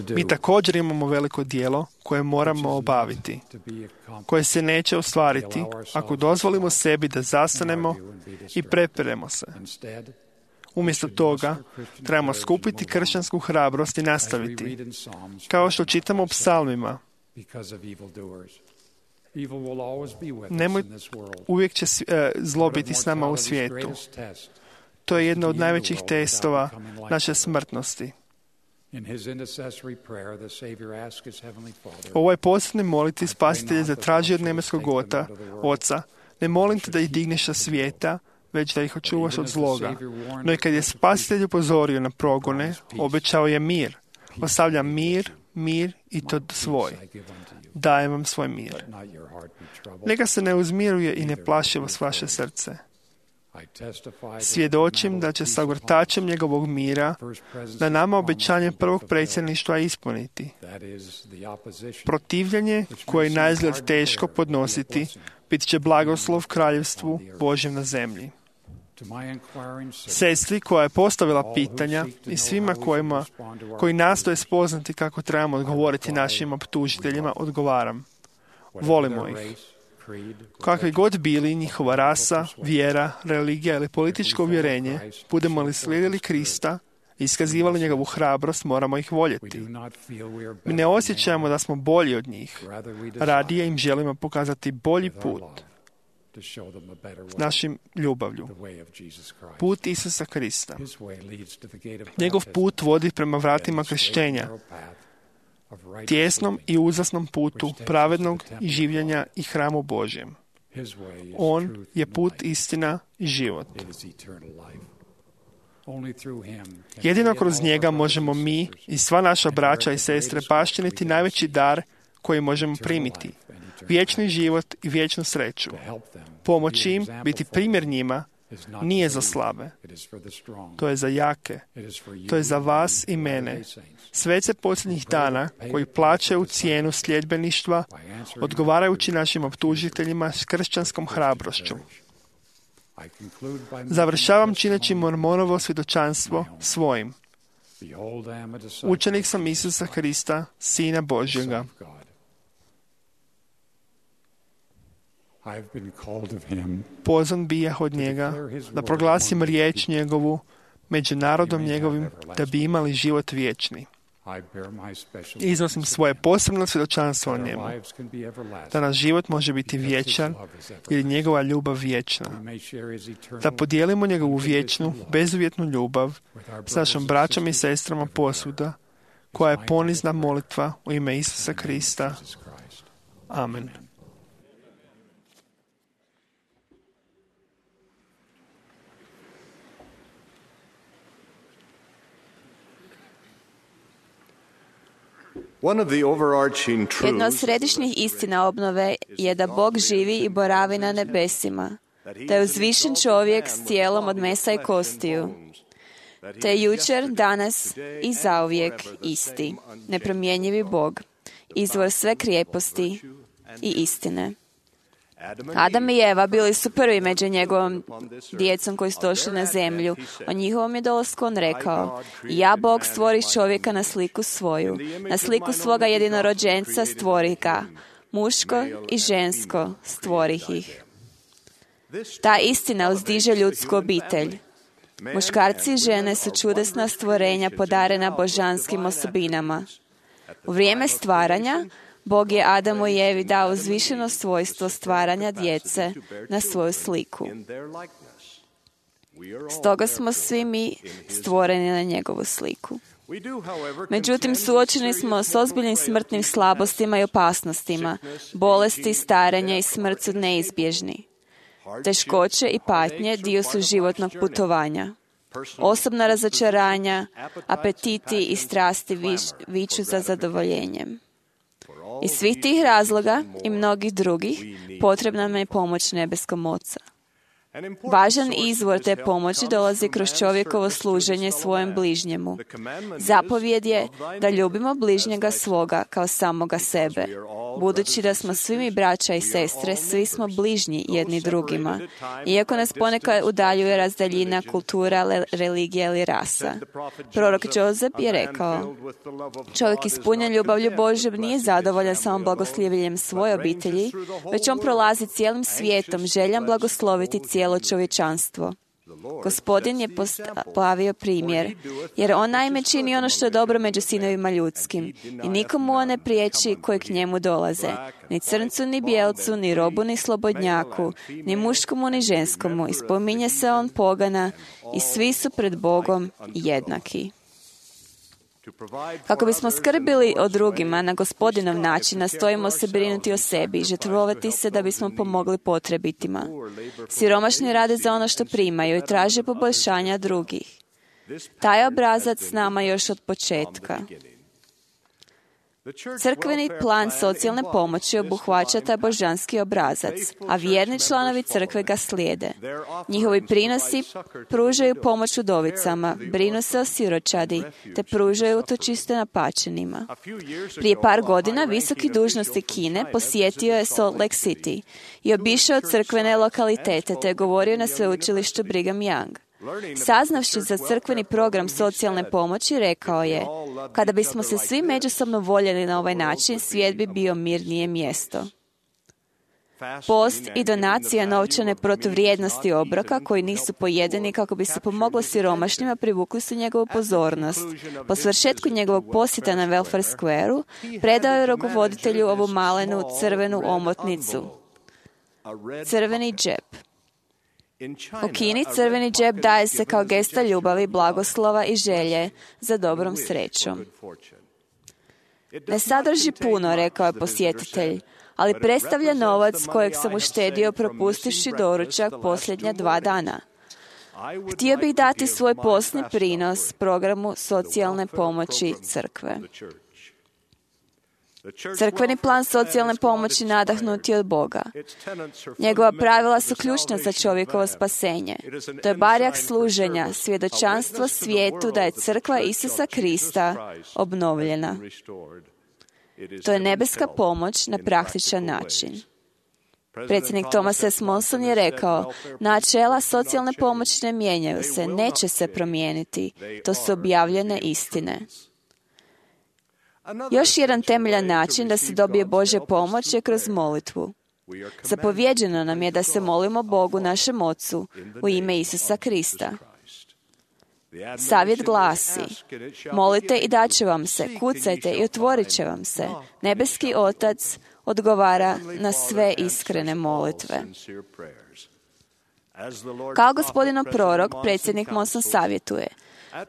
B: Mi također imamo veliko djelo koje moramo obaviti, koje se neće ostvariti ako dozvolimo sebi da zastanemo i preperemo se. Umjesto toga, trebamo skupiti kršćansku hrabrost i nastaviti, kao što čitamo u psalmima. Uvijek će zlo biti s nama u svijetu. To je jedno od najvećih testova naše smrtnosti. U ovoj posljednoj molitvi Spasitelj je zatražio od nebeskog Oca, ne molim te da ih digneš sa svijeta, već da ih očuvaš od zloga. No i kad je Spasitelj upozorio na progone, obećao je mir. Ostavljam mir i to svoj. Dajem vam svoj mir. Neka se ne uzmiruje i ne plaši vas vaše srce. Svjedočim da će sa ogrtačem njegovog mira na nama obećanje prvog predsjedništva ispuniti. Protivljenje koje je naizgled teško podnositi, bit će blagoslov kraljevstvu Božjem na zemlji. Sestri koja je postavila pitanja i svima koji nastoje spoznati kako trebamo odgovoriti našim optužiteljima, odgovaram. Volimo ih. Kakvi god bili njihova rasa, vjera, religija ili političko uvjerenje, budemo li slijedili Krista i iskazivali njegovu hrabrost, moramo ih voljeti. Mi ne osjećamo da smo bolji od njih. Radije im želimo pokazati bolji put s našim ljubavlju. Put Isusa Krista. Njegov put vodi prema vratima kršćenja, tjesnom i uzasnom putu pravednog i življenja i hramu Božjem. On je put, istina i život. Jedino kroz njega možemo mi i sva naša braća i sestre baštiniti najveći dar koji možemo primiti. Vječni život i vječnu sreću. Pomoći im, biti primjer njima, nije za slabe. To je za jake. To je za vas i mene. Svece posljednjih dana koji plaćaju cijenu sljedbeništva, odgovarajući našim optužiteljima s kršćanskom hrabrošću. Završavam čineći Mormonovo svjedočanstvo svojim. Učenik sam Isusa Krista, Sina Božjega. Pozvan bijah od njega da proglasim riječ njegovu među narodom njegovim da bi imali život vječni. Iznosim svoje posebno svjedočanstvo o njemu, da naš život može biti vječan jer je njegova ljubav vječna. Da podijelimo njegovu vječnu, bezuvjetnu ljubav s našom braćom i sestrama posvuda, koja je ponizna molitva u ime Isusa Krista. Amen.
D: Jedna od središnjih istina obnove je da Bog živi i boravi na nebesima, da je uzvišen čovjek s tijelom od mesa i kostiju, te je jučer, danas i zauvijek isti, nepromjenjivi Bog, izvor sve krijeposti i istine. Adam i Eva bili su prvi među njegovom djecom koji su došli na zemlju. O njihovom je dolasku on rekao: ja, Bog, stvorih čovjeka na sliku svoju, na sliku svoga jedinorođenca stvorih ga, muško i žensko stvorih ih. Ta istina uzdiže ljudsku obitelj. Muškarci i žene su čudesna stvorenja podarena božanskim osobinama. U vrijeme stvaranja Bog je Adamu i Evi dao uzvišeno svojstvo stvaranja djece na svoju sliku. Stoga smo svi mi stvoreni na njegovu sliku. Međutim, suočeni smo s ozbiljnim smrtnim slabostima i opasnostima. Bolesti, starenje i smrt su neizbježni. Teškoće i patnje dio su životnog putovanja. Osobna razočaranja, apetiti i strasti viču za zadovoljenjem. Iz svih tih razloga i mnogih drugih potrebna nam je pomoć nebeskom Oca. Važan izvor te pomoći dolazi kroz čovjekovo služenje svojem bližnjemu. Zapovjed je da ljubimo bližnjega svoga kao samoga sebe. Budući da smo svi mi braća i sestre, svi smo bližnji jedni drugima. Iako nas ponekad udaljuje razdaljina, kultura, religija ili rasa. Prorok Jozef je rekao: čovjek ispunjen ljubavlju Božjom nije zadovoljan samo blagoslivljenjem svoje obitelji, već on prolazi cijelim svijetom željan blagosloviti cijelo čovječanstvo. Gospodin je postavio primjer, jer on naime čini ono što je dobro među sinovima ljudskim i nikomu on ne priječi koji k njemu dolaze, ni crncu, ni bijelcu, ni robu, ni slobodnjaku, ni muškomu, ni ženskomu. I spominje se on pogana i svi su pred Bogom jednaki. Kako bismo skrbili o drugima na Gospodinov način, nastojimo se brinuti o sebi i žrtvovati se da bismo pomogli potrebitima. Siromašni rade za ono što primaju i traže poboljšanja drugih. Taj obrazac s nama još od početka. Crkveni plan socijalne pomoći obuhvaća taj božanski obrazac, a vjerni članovi crkve ga slijede. Njihovi prinosi pružaju pomoć udovicama, brinu se o siročadi, te pružaju utočište napačenima. Prije par godina visoki dužnosnik Kine posjetio je Salt Lake City i obišao crkvene lokalitete, te je govorio na sveučilištu Brigham Young. Saznavši za crkveni program socijalne pomoći, rekao je: kada bismo se svi međusobno voljeli na ovaj način, svijet bi bio mirnije mjesto. Post i donacija novčane protuvrijednosti obroka koji nisu pojedeni kako bi se pomoglo siromašnima privukli su njegovu pozornost. Po svršetku njegovog posjeta na Welfare Square-u predao je rukovoditelju ovu malenu crvenu omotnicu, crveni džep. U Kini crveni džep daje se kao gesta ljubavi, blagoslova i želje za dobrom srećom. Ne sadrži puno, rekao je posjetitelj, ali predstavlja novac kojeg sam uštedio propustivši doručak posljednja 2 dana. Htio bih dati svoj posni prinos programu socijalne pomoći crkve. Crkveni plan socijalne pomoći nadahnut je od Boga. Njegova pravila su ključna za čovjekovo spasenje. To je barjak služenja, svjedočanstvo svijetu da je crkva Isusa Krista obnovljena. To je nebeska pomoć na praktičan način. Predsjednik Thomas S. Monson je rekao: načela socijalne pomoći ne mijenjaju se, neće se promijeniti. To su objavljene istine. Još jedan temeljan način da se dobije Božja pomoć je kroz molitvu. Zapovjeđeno nam je da se molimo Bogu našem Ocu u ime Isusa Krista. Savjet glasi: molite i dat će vam se, kucajte i otvorit će vam se. Nebeski Otac odgovara na sve iskrene molitve. Kao Gospodinov prorok, predsjednik Monson savjetuje: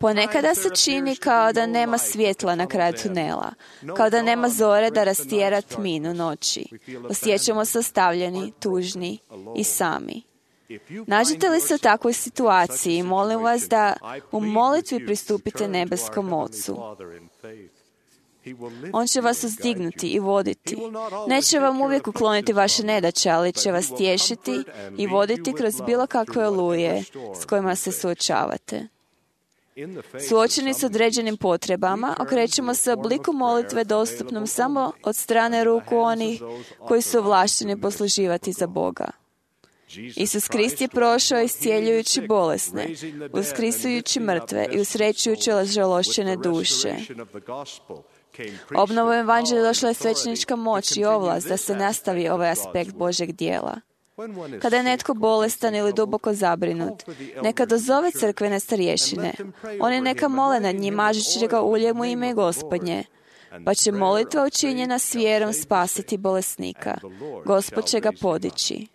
D: ponekada se čini kao da nema svjetla na kraju tunela, kao da nema zore da rastjera tminu noći. Osjećamo se ostavljeni, tužni i sami. Nađete li se u takvoj situaciji, molim vas da u molitvi pristupite nebeskom Ocu. On će vas uzdignuti i voditi. Neće vam uvijek ukloniti vaše nedaće, ali će vas tješiti i voditi kroz bilo kakve oluje s kojima se suočavate. Suočeni s određenim potrebama, okrećemo se obliku molitve dostupnom samo od strane ruku onih koji su ovlašteni posluživati za Boga. Isus Krist je prošao iscijeljujući bolesne, uskrisujući mrtve i usrećujući ražalošćene duše. Obnovom evanđelja došla je svećenička moć i ovlast da se nastavi ovaj aspekt Božeg dijela. Kada je netko bolestan ili duboko zabrinut, neka dozove crkvene starješine. Oni neka mole nad njim mažući ga uljem u ime Gospodnje, pa će molitva učinjena s vjerom spasiti bolesnika. Gospod će ga podići.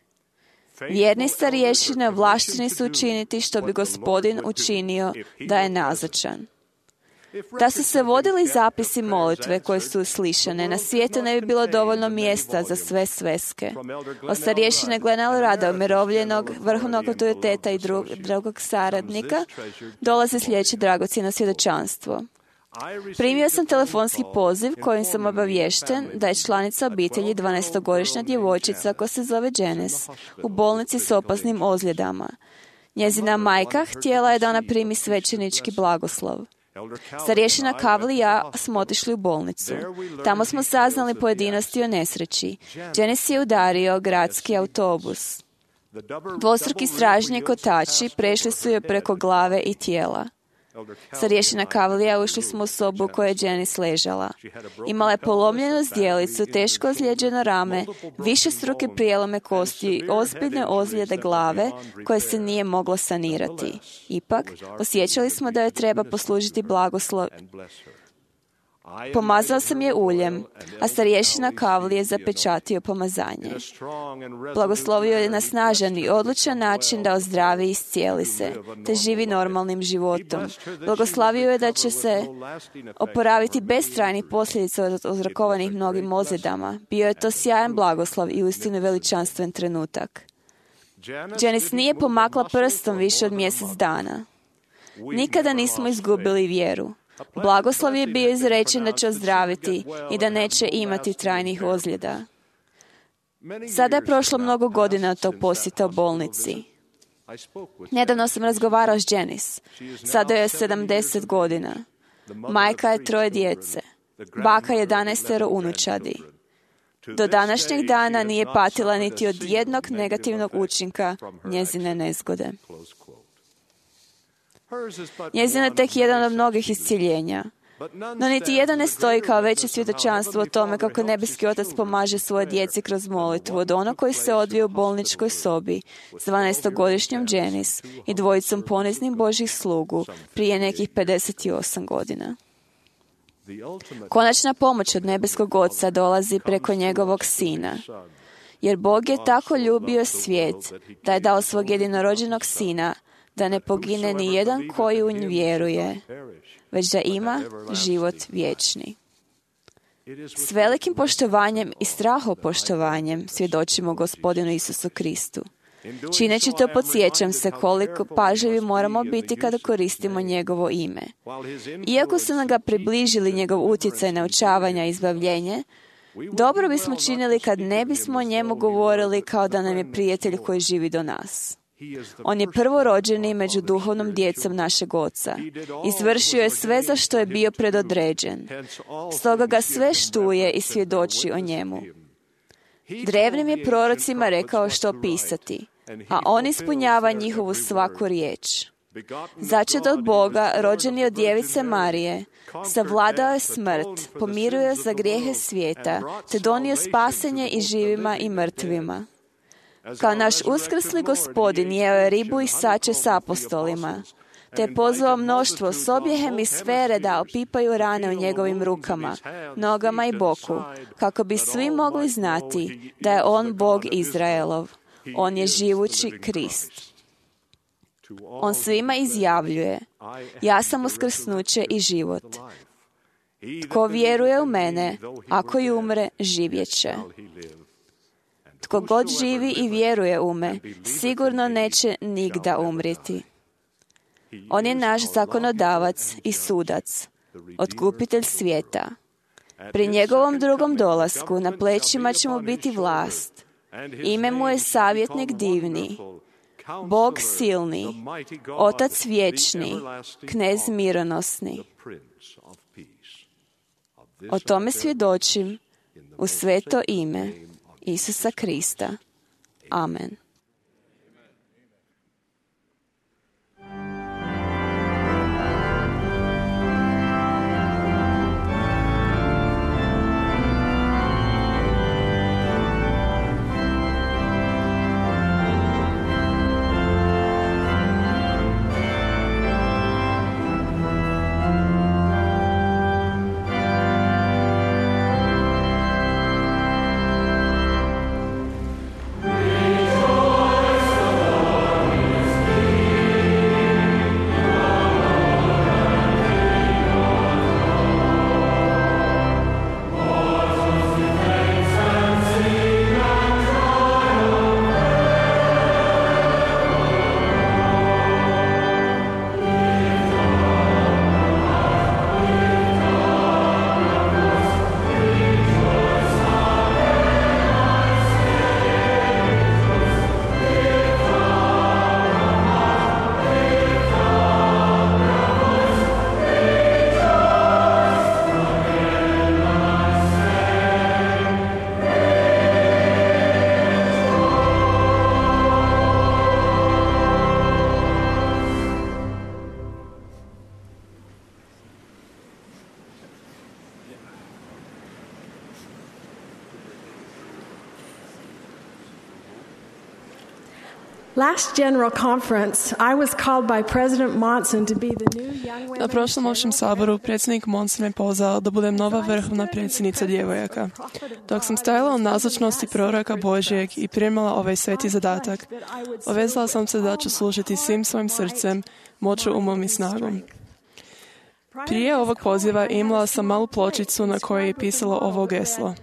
D: Vjerni starješine ovlašteni su učiniti što bi Gospodin učinio da je nazočan. Da su se vodili zapisi molitve koje su uslišane, na svijetu ne bi bilo dovoljno mjesta za sve sveske. Od starješine Glena Elrada, umirovljenog vrhovnog autoriteta i drugog saradnika, dolazi sljedeće dragocjeno svjedočanstvo. Primio sam telefonski poziv kojim sam obaviješten da je članica obitelji 12-godišnja djevojčica koja se zove Janice u bolnici s opasnim ozljedama. Njezina majka htjela je da ona primi svećenički blagoslov. Starješina Kavli i ja smo otišli u bolnicu. Tamo smo saznali pojedinosti o nesreći. Janice je udario gradski autobus. Dvostruki stražnji kotači prešli su joj preko glave i tijela. Starješina Kavlija ušli smo u sobu u kojoj je Janice ležala. Imala je polomljenu zdjelicu, teško ozlijeđeno rame, višestruke prijelome kosti i ozbiljne ozljede glave koje se nije moglo sanirati. Ipak, osjećali smo da joj treba poslužiti blagoslov. Pomazao sam je uljem, a starješina Kavli je zapečatio pomazanje. Blagoslovio je na snažan i odlučan način da ozdravi i iscijeli se, te živi normalnim životom. Blagoslavio je da će se oporaviti bez trajnih posljedica od uzrokovanih mnogim ozljedama. Bio je to sjajan blagoslov i uistinu veličanstven trenutak. Janice nije pomakla prstom više od mjesec dana. Nikada nismo izgubili vjeru. Blagoslov je bio izrečen da će ozdraviti i da neće imati trajnih ozljeda. Sada je prošlo mnogo godina od tog posjeta u bolnici. Nedavno sam razgovarao s Janice. Sada je 70 godina. Majka je 3 djece. Baka 11 unučadi. Do današnjeg dana nije patila niti od jednog negativnog učinka njezine nezgode. Njezin je tek jedan od mnogih iscjeljenja. No niti jedan ne stoji kao veće svjedočanstvo o tome kako nebeski otac pomaže svoje djeci kroz molitvu od onog koji se odvije u bolničkoj sobi s 12-godišnjom Janice i 2 poniznim Božjih slugu prije nekih 58 godina. Konačna pomoć od nebeskog oca dolazi preko njegovog sina. Jer Bog je tako ljubio svijet da je dao svog jedinorođenog sina da ne pogine ni jedan koji u nj vjeruje, već da ima život vječni. S velikim poštovanjem i strahopoštovanjem svjedočimo Gospodinu Isusu Kristu. Čineći to podsjećam se koliko pažljivi moramo biti kada koristimo njegovo ime. Iako su nam ga približili njegov utjecaj naučavanja i izbavljenje, dobro bismo činili kad ne bismo o njemu govorili kao da nam je prijatelj koji živi do nas. On je prvorođeni među duhovnom djecom našeg Oca. Izvršio je sve za što je bio predodređen. Stoga ga sve štuje i svjedoči o njemu. Drevnim je prorocima rekao što pisati, a on ispunjava njihovu svaku riječ. Začet od Boga, rođeni od djevice Marije, savladao je smrt, pomirio je za grijehe svijeta, te donio spasenje i živima i mrtvima. Kao naš uskrsli Gospodin jeo je ribu i sače s apostolima, te je pozvao mnoštvo s obje hemisfere da opipaju rane u njegovim rukama, nogama i boku, kako bi svi mogli znati da je on Bog Izraelov. On je živući Krist. On svima izjavljuje, ja sam uskrsnuće i život. Tko vjeruje u mene, ako i umre, živjet će. Tko god živi i vjeruje u me, sigurno neće nigda umrijeti. On je naš zakonodavac i sudac, otkupitelj svijeta. Pri njegovom drugom dolasku na plećima će mu biti vlast. Ime mu je savjetnik divni, Bog silni, Otac vječni, Knez mironosni. O tome svjedočim u sveto ime Isusa Krista. Amen.
G: Last General Conference, I was called by President Monson to be the new young women.
H: Na prošlom općem saboru predsjednik Monson me pozvao da budem nova vrhovna predsjednica djevojaka. Dok sam stajala u nazočnosti proroka Božjeg i primala ovaj sveti zadatak, obvezala sam se da ću služiti svim svojim srcem, moću, umom i snagom. Prije ovog poziva imala sam malu pločicu na kojoj je pisalo ovo geslo: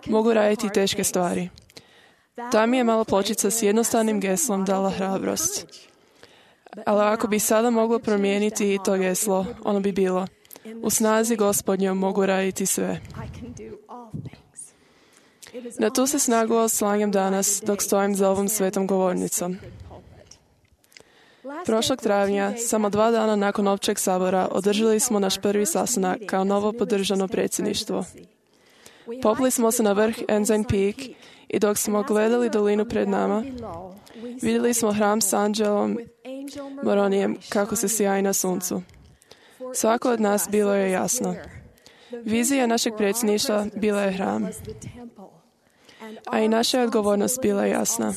H: mogu raditi teške stvari. Ta mi je mala pločica s jednostavnim geslom dala hrabrost. Ali ako bi sada moglo promijeniti i to geslo, ono bi bilo: u snazi Gospodnjom mogu raditi sve. Na tu se snagu oslanjam danas dok stojim za ovom svetom govornicom. Prošlog travnja, samo 2 dana nakon općeg sabora, održali smo naš prvi sastanak kao novo podržano predsjedništvo. Popli smo se na vrh Ensign Peak i dok smo gledali dolinu pred nama, vidjeli smo hram s anđelom Moronijem kako se sjaji na suncu. Svako od nas bilo je jasno. Vizija našeg predsjedništva bila je hram, a i naša odgovornost bila je jasna.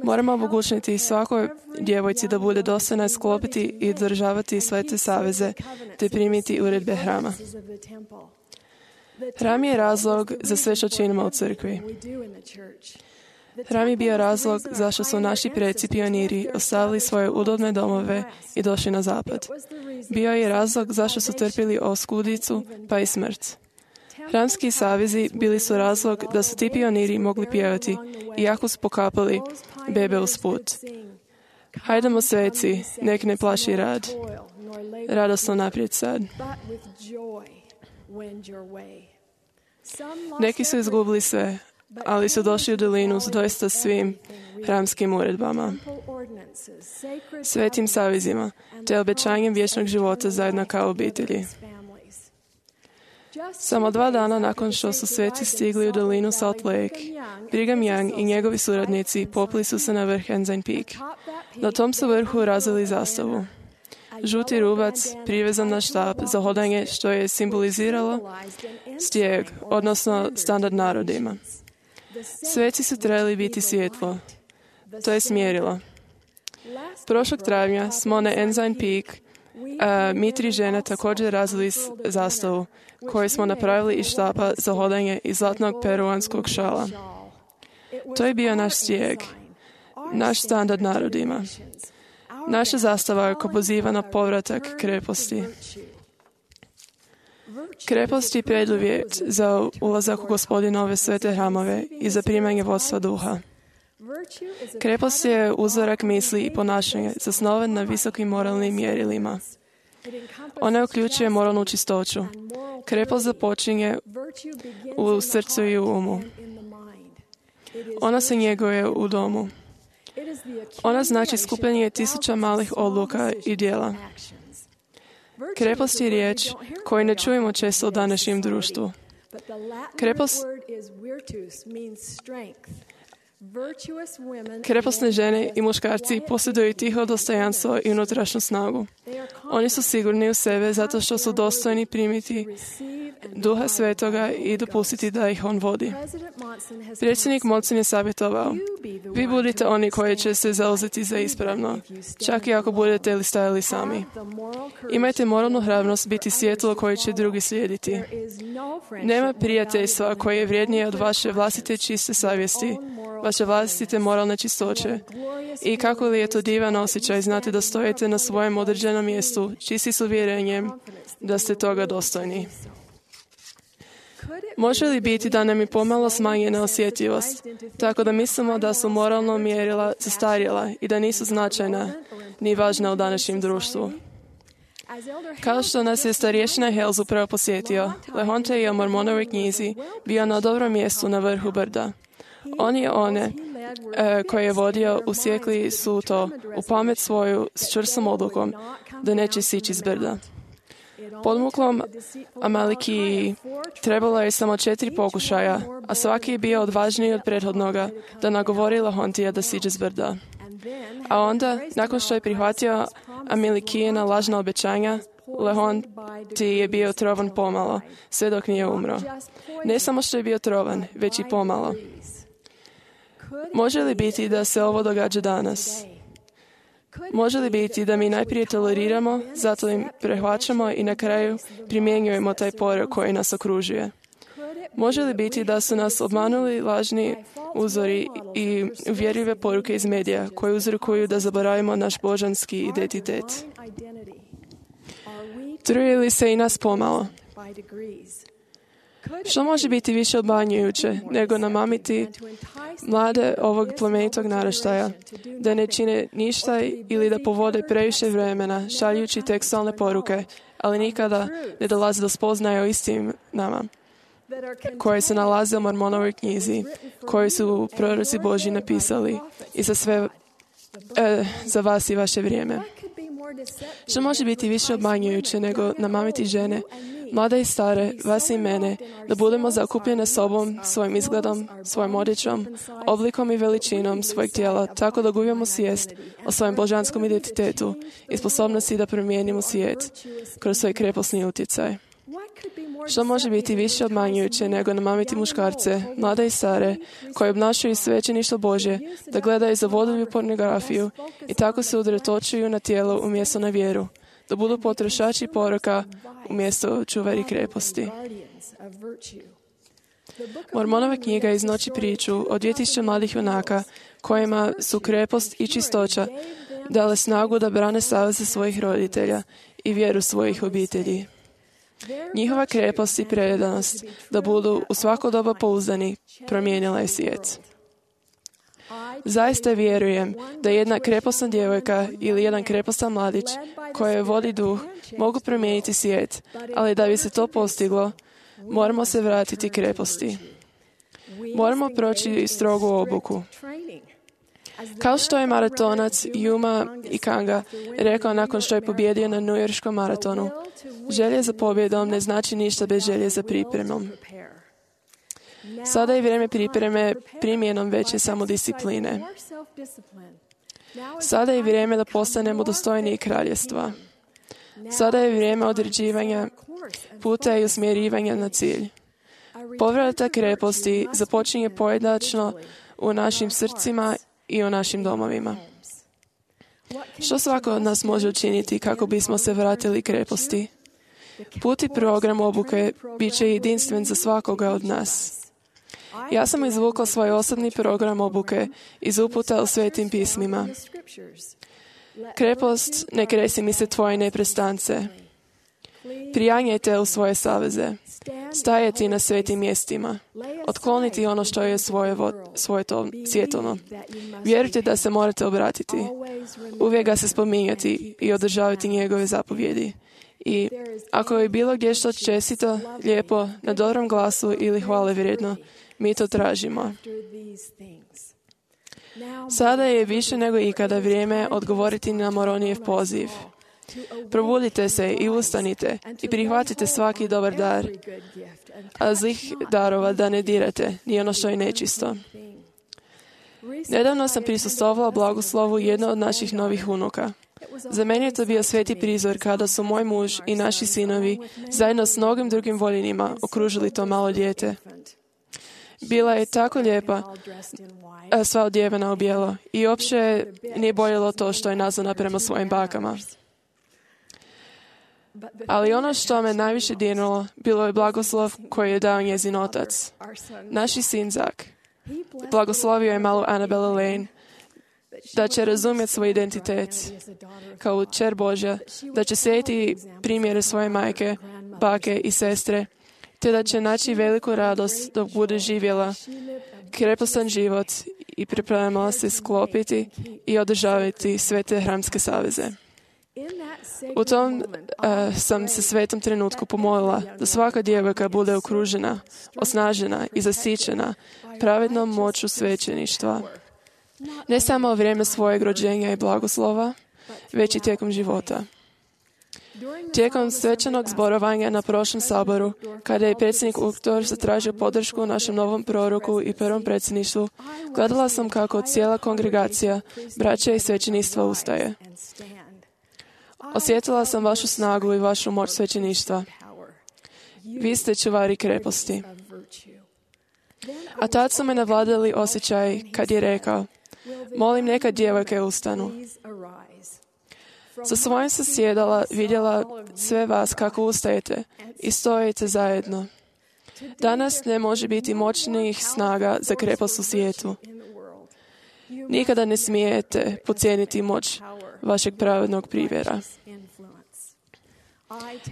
H: Moramo omogućiti svakoj djevojci da bude dostojna sklopiti i održavati sve te saveze te primiti uredbe hrama. Hram je razlog za sve što činimo u crkvi. Hram je bio razlog zašto su naši preci pioniri ostavili svoje udobne domove i došli na zapad. Bio je razlog zašto su trpili oskudicu pa i smrt. Hramski savezi bili su razlog da su ti pioniri mogli pjevati, iako su pokapali bebe uz put. Hajdemo sveci, nek ne plaši rad. Radosno naprijed sad. Neki su izgubili sve, ali su došli u dolinu s doista svim hramskim uredbama, svetim savezima, te obećanjem vječnog života zajedno kao obitelji. Samo 2 dana nakon što su sveci stigli u dolinu Salt Lake, Brigham Young i njegovi suradnici popli su se na vrh Ensign Peak. Na tom su vrhu razvili zastavu. Žuti rubac privezan na štap za hodanje, što je simboliziralo stijeg, odnosno standard narodima. Sveci su trebali biti svjetlo. To je smjerilo. Prošlog travnja smo na Ensign Peak, mi 3 žene također razvili zastavu, koju smo napravili iz štapa za hodanje i zlatnog peruanskog šala. To je bio naš stijeg, naš standard narodima. Naša zastava je poziva na povratak kreposti. Krepost je preduvjet za ulazak u Gospodinove svete hramove i za primanje vodstva duha. Krepost je uzorak misli i ponašanja zasnovan na visokim moralnim mjerilima. Ona uključuje moralnu čistoću. Krepost započinje u srcu i u umu. Ona se njeguje u domu. Ona znači skupljanje tisuća malih odluka i djela. Krepost je riječ koju ne čujemo često u današnjem društvu. Kreposne žene i muškarci posjeduju tiho dostojanstvo i unutrašnju snagu. Oni su sigurni u sebe zato što su dostojni primiti Duha Svetoga i dopustiti da ih on vodi. Predsjednik Monson je savjetovao: vi budite oni koji će se zauzeti za ispravno, čak i ako budete li stajali sami. Imajte moralnu hrabrost biti svjetlo koje će drugi slijediti. Nema prijateljstva koje je vrijednije od vaše vlastite čiste savjesti, vaše vlastite moralne čistoće. I kako li je to divan osjećaj znate da stojite na svojem određenom mjestu, čisti s uvjerenjem da ste toga dostojni. Može li biti da nam je pomalo smanjena osjetljivost, tako da mislimo da su moralna mjerila zastarjela i da nisu značajna ni važna u današnjem društvu? Kao što nas je starješina Hales upravo posjetio, Lehonte je u Mormonovoj knjizi bio na dobrom mjestu na vrhu brda. On je one koje je vodio usjekli su to u pamet svoju s čvrstom odlukom da neće sići s brda. Podmuklom Amalikiji trebalo je samo 4 pokušaja, a svaki je bio odvažniji od prethodnoga da nagovori Lehontija da siđe s brda. A onda, nakon što je prihvatio Amalikijina lažna obećanja, Lehonti je bio trovan pomalo, sve dok nije umro. Ne samo što je bio trovan, već i pomalo. Može li biti da se ovo događa danas? Može li biti da mi najprije toleriramo, zato im prehvaćamo i na kraju primjenjujemo taj porok koji nas okružuje? Može li biti da su nas obmanuli lažni uzori i uvjerljive poruke iz medija koje uzrokuju da zaboravimo naš božanski identitet? Truje li se i nas pomalo? Što može biti više obmanjujuće nego namamiti mlade ovog plemenitog naraštaja da ne čine ništa ili da povode previše vremena šaljući tekstualne poruke, ali nikada ne dolaze do spoznaje o istinama koje se nalaze u Mormonovoj knjizi, koje su proroci Božji napisali i za vas i vaše vrijeme. Što može biti više obmanjujuće nego namamiti žene, mlade i stare, vas i mene, da budemo zakupljene sobom, svojim izgledom, svojom odjećom, oblikom i veličinom svojeg tijela, tako da gubimo svijest o svojem božanskom identitetu i sposobnosti da promijenimo svijet kroz svoj krepostni utjecaj. Što može biti više obmanjujuće nego namamiti muškarce, mlade i stare, koji obnašaju svećeništvo Božje, da gledaju za vodilju pornografiju i tako se udretočuju na tijelo umjesto na vjeru, da budu potrošači poroka umjesto čuvari kreposti. Mormonova knjiga iznosi priču o 2000 mladih junaka kojima su krepost i čistoća dale snagu da brane saveze svojih roditelja i vjeru svojih obitelji. Njihova krepost i predanost da budu u svako doba pouzdani promijenila je svijet. Zaista vjerujem da jedna krepostna djevojka ili jedan krepostan mladić koje vodi duh mogu promijeniti svijet, ali da bi se to postiglo, moramo se vratiti kreposti. Moramo proći strogu obuku. Kao što je maratonac Yuma Ikanga rekao nakon što je pobjedio na Newyorškom maratonu, želje za pobjedom ne znači ništa bez želje za pripremom. Sada je vrijeme pripreme primjenom veće samodiscipline. Sada je vrijeme da postanemo dostojniji kraljevstva. Sada je vrijeme određivanja puta i usmjerivanja na cilj. Povratak kreposti započinje pojedinačno u našim srcima i u našim domovima. Što svako od nas može učiniti kako bismo se vratili kreposti? Put i program obuke bit će jedinstven za svakoga od nas. Ja sam izvukla svoj osobni program obuke iz uputa u Svetim pismima. Krepost, ne kresi mi se tvoje neprestance. Prijanjajte u svoje saveze. Stajati na svetim mjestima. Otkloniti ono što je svoje to svjetovno. Vjerujte da se morate obratiti. Uvijek ga se spominjati i održavati njegove zapovjedi. I ako je bilo gdje što čestito, lijepo, na dobrom glasu ili hvale vrijedno, mi to tražimo. Sada je više nego ikada vrijeme odgovoriti na Moronijev poziv. Probudite se i ustanite i prihvatite svaki dobar dar, a zlih darova da ne dirate, ni ono što je nečisto. Nedavno sam prisustvovala blagoslovu jedno od naših novih unuka. Za mene je to bio sveti prizor kada su moj muž i naši sinovi zajedno s mnogim drugim voljenima okružili to malo dijete. Bila je tako lijepa, sva odjevena u bijelo, i uopće nije boljelo to što je nazvana prema svojim bakama. Ali ono što me najviše dirnulo bilo je blagoslov koji je dao njezin otac. Naši sin Zak blagoslovio je malu Annabelle Lane da će razumjeti svoj identitet kao kćer Božja, da će slijediti primjere svoje majke, bake i sestre, te da će naći veliku radost dok bude živjela krepostan život i pripremala se sklopiti i održavati sve te hramske saveze. U tom sam se svetom trenutku pomolila da svaka djevojka bude okružena, osnažena i zasićena pravednom moću svećeništva. Ne samo u vrijeme svojeg rođenja i blagoslova, već i tijekom života. Tijekom svečanog zborovanja na prošlom saboru, kada je predsjednik Uktor zatražio podršku našem novom proroku i prvom predsjedništvu, gledala sam kako cijela kongregacija, braća i svećeništva ustaje. Osjetila sam vašu snagu i vašu moć svećeništva. Vi ste čuvari kreposti. A tad su me navladali osjećaj kad je rekao: molim neka djevojke ustanu. Sa svojim sam sjedala, vidjela sve vas kako ustajete i stojite zajedno. Danas ne može biti moćnijih snaga za krepost u svijetu. Nikada ne smijete podcijeniti moć vašeg pravednog primjera.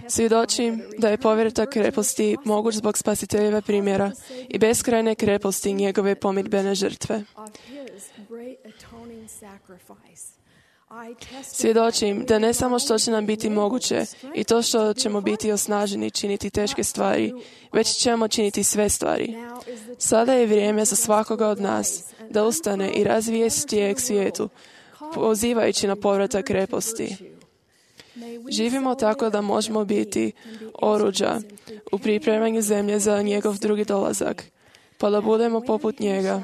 H: Svjedočim da je povratak kreposti moguć zbog spasiteljeva primjera i beskrajne kreposti njegove pomirbene žrtve. Svjedočim da ne samo što će nam biti moguće i to što ćemo biti osnaženi činiti teške stvari, već ćemo činiti sve stvari. Sada je vrijeme za svakoga od nas da ustane i razvije stijeg svijetu, pozivajući na povratak kreposti. Živimo tako da možemo biti oruđa u pripremanju zemlje za njegov drugi dolazak, pa da budemo poput njega.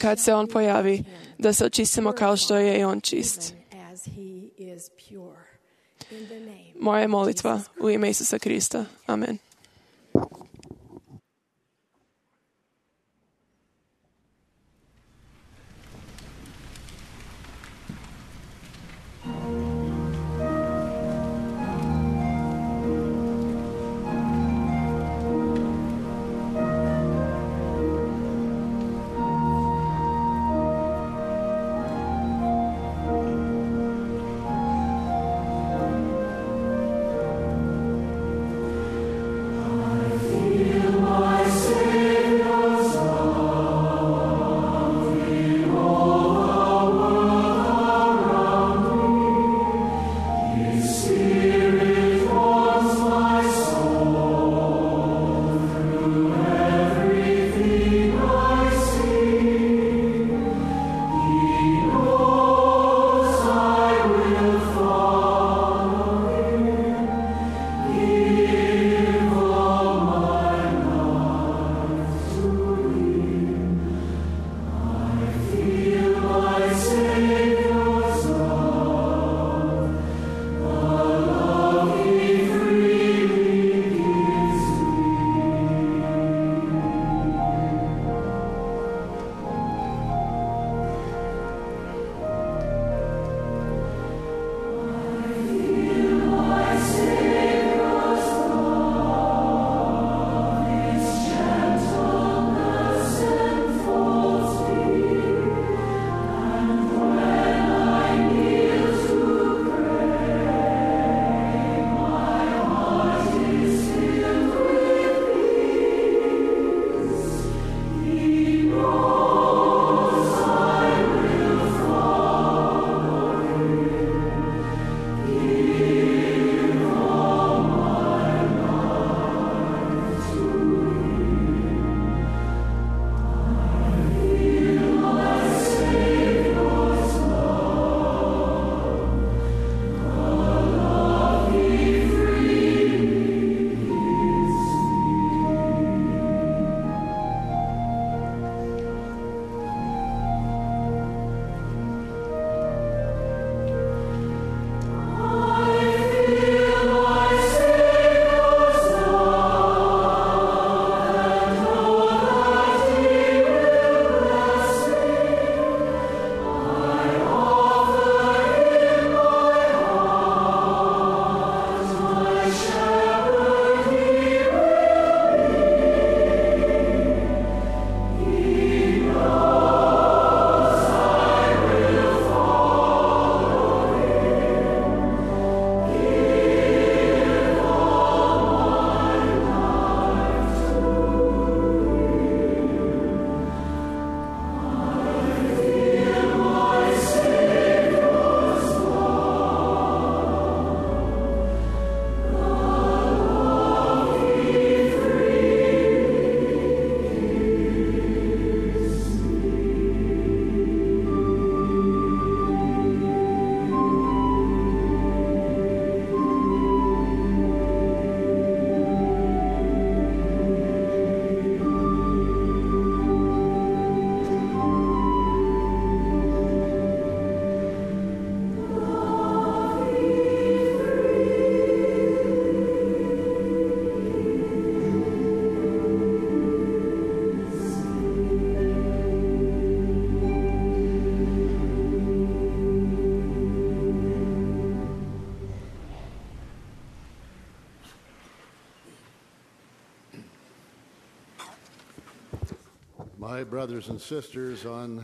H: Kad se on pojavi, da se očistimo kao što je i on čist. Moja je molitva u ime Isusa Krista. Amen.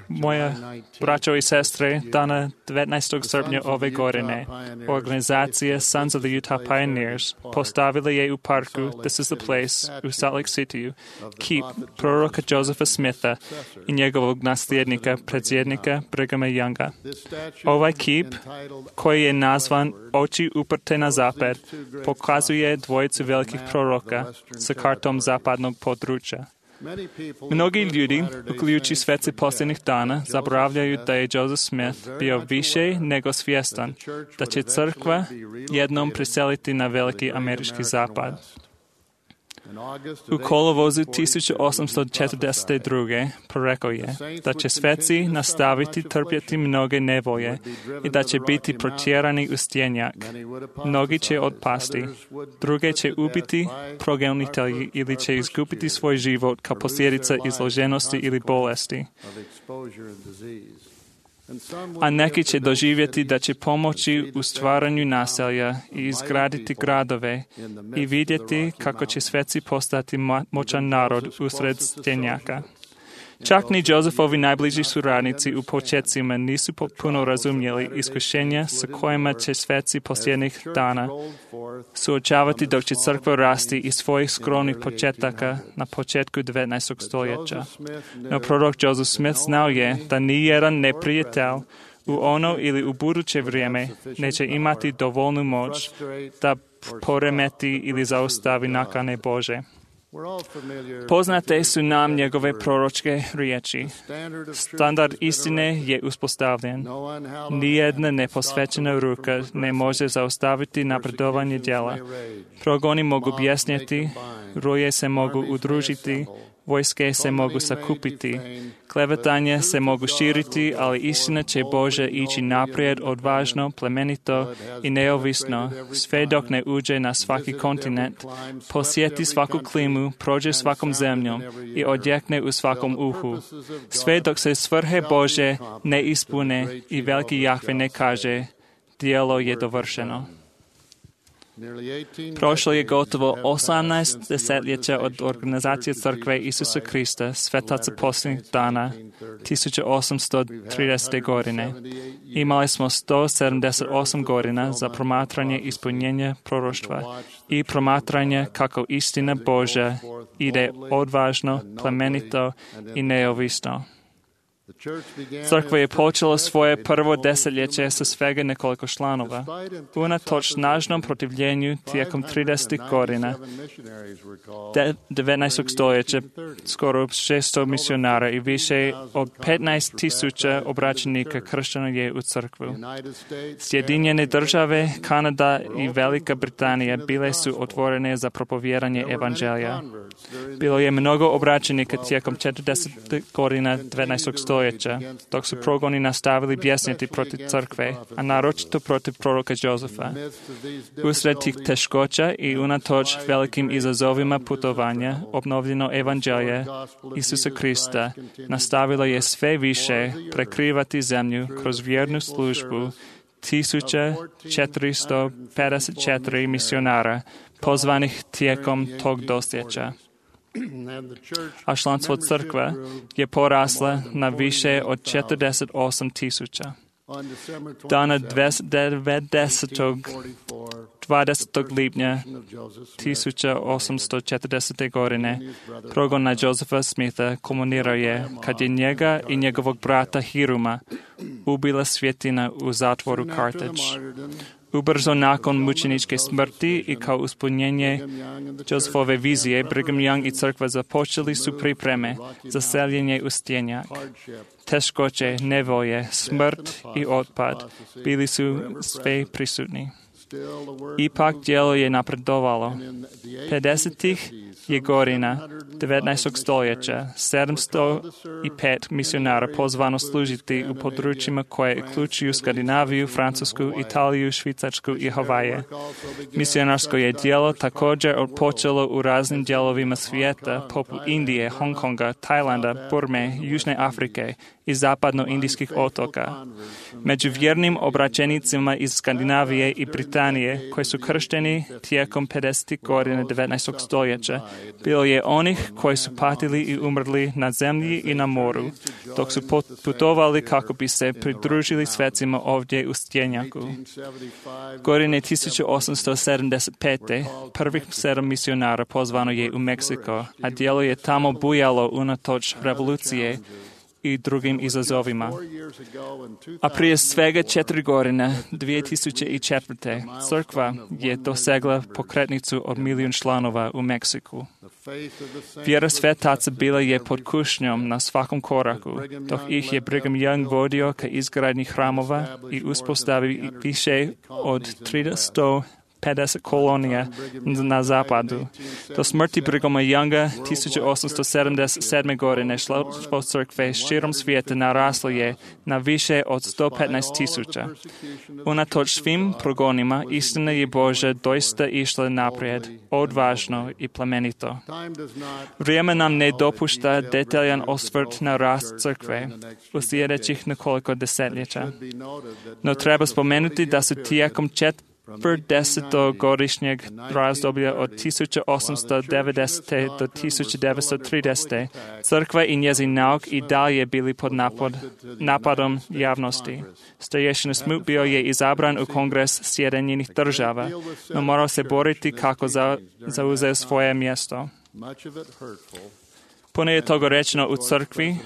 I: Moje braćo i sestre, dana 19. srpnja ove godine, organizacija Sons of the Utah Pioneers postavila je u parku This is the Place u Salt Lake City kip proroka Josepha Smitha i njegovog nasljednika, predsjednika Brighama Younga. Ovaj kip, koji je nazvan Oči uprte na zapad, pokazuje dvojicu velikih proroka sa kartom zapadnog područja. Mnogi ljudi, uključujući sveci posljednjih dana, zaboravljaju da je Joseph Smith bio više nego svjestan da će crkva jednom priseliti na veliki američki zapad. U kolovozu 1842. prorekao je da će sveci nastaviti trpjeti mnoge nevolje i da će biti protjerani u stjenjak. Mnogi će otpasti, druge će ubiti progonitelji ili će izgubiti svoj život kao posljedica izloženosti ili bolesti. A neki će doživjeti da će pomoći u stvaranju naselja i izgraditi gradove i vidjeti kako će sveci postati moćan narod usred stjenjaka. Čak ni Josephovi najbliži suradnici u početcima nisu potpuno razumjeli iskušenja sa kojima će sveci posljednjih dana suočavati dok će crkva rasti iz svojih skromnih početaka na početku 19. stoljeća. No prorok Joseph Smith znao je da nijedan neprijatelj u ono ili u buduće vrijeme neće imati dovoljnu moć da poremeti ili zaustavi nakane Bože. Poznate su nam njegove proročke riječi. Standard istine je uspostavljen. Nijedna neposvećena ruka ne može zaustaviti napredovanje djela. Progoni mogu bjesnjeti, ruje se mogu udružiti, vojske se mogu sakupiti, klevetanje se mogu širiti, ali istina će Bože ići naprijed odvažno, plemenito i neovisno, sve dok ne uđe na svaki kontinent, posjeti svaku klimu, prođe svakom zemljom i odjekne u svakom uhu. Sve dok se svrhe Bože ne ispune i veliki Jahve ne kaže, djelo je dovršeno. Prošlo je gotovo 18 desetljeća od organizacije Crkve Isusa Krista, svetaca posljednjih dana, 1830. godine. Imali smo 178 godina za promatranje ispunjenja proroštva i promatranje kako istina Božja ide odvažno, plemenito i neovisno. Crkva je počela svoje prvo desetljeće sa svega nekoliko članova. Unatoč snažnom protivljenju tijekom 30. godina 19. stoljeća skoro 600 misionara i više od 15,000 obraćenika kršćana je u crkvu. Sjedinjene države, Kanada i Velika Britanija bile su otvorene za propovjedanje evanđelja. Bilo je mnogo obraćenika tijekom 40. godina 19. stoljeća, dok su progoni nastavili bjesniti protiv crkve, a naročito protiv proroka Josefa. Usred tih teškoća i unatoč velikim izazovima putovanja, obnovljeno evanđelje Isusa Krista nastavilo je sve više prekrivati zemlju kroz vjernu službu 1454 misionara pozvanih tijekom tog desetljeća. A članstvo crkve je porasla na više od 48,000. Dana 20. lipnja 1840. godine progon na Josepha Smitha kulminirao je kad je njega i njegovog brata Hiruma ubila svjetina u zatvoru Carthage. Ubrzo nakon mučeničke smrti i kao ispunjenje Josephove vizije, Brigham Young i crkva započeli su pripreme za seljenje u stjenjak. Teškoće, nevolje, smrt i otpad bili su sve prisutni. Ipak djelo je napredovalo. 50-ih je godina 19. stoljeća 705 misionara pozvano služiti u područjima koje uključuju Skandinaviju, Francusku, Italiju, Švicarsku i Havaje. Misionarsko je djelo također počelo u raznim dijelovima svijeta, poput Indije, Hong Konga, Tajlanda, Burme, Južne Afrike i zapadno-indijskih otoka. Među vjernim obraćenicima iz Skandinavije i Britanije Britanije, koji su kršteni tijekom 50. godina 19. stoljeća, bilo je onih koji su patili i umrli na zemlji i na moru, dok su putovali kako bi se pridružili svecima ovdje u Stjenjaku. Godine 1875. prvih 7 misionara pozvano je u Meksiko, a djelo je tamo bujalo unatoč revolucije i drugim izazovima. A prije svega 4 godine, 2004. crkva je dosegla pokretnicu od 1 milijun članova u Meksiku. Vjera svetaca bila je pod kušnjom na svakom koraku, dok ih je Brigham Young vodio ka izgradnji hramova i uspostavi više od 350 kolonija na zapadu. Do smrti Brighama Younga 1877. godine članstvo crkve širom svijeta naraslo je na više od 115,000. Unatoč svim progonima, istina je Božja doista išla naprijed, odvažno i plemenito. Vrijeme nam ne dopušta detaljan osvrt na rast crkve u sljedećih nekoliko desetljeća. No treba spomenuti da su tijekom 40-godišnjeg razdoblja od 1890. do 1930. crkva i njezin nauk i dalje bili pod napadom javnosti. Starješina Smoot bio je izabran u Kongres Sjedinjenih Država, no morao se boriti kako zauzeo svoje mjesto. Puno je toga rečeno u crkvi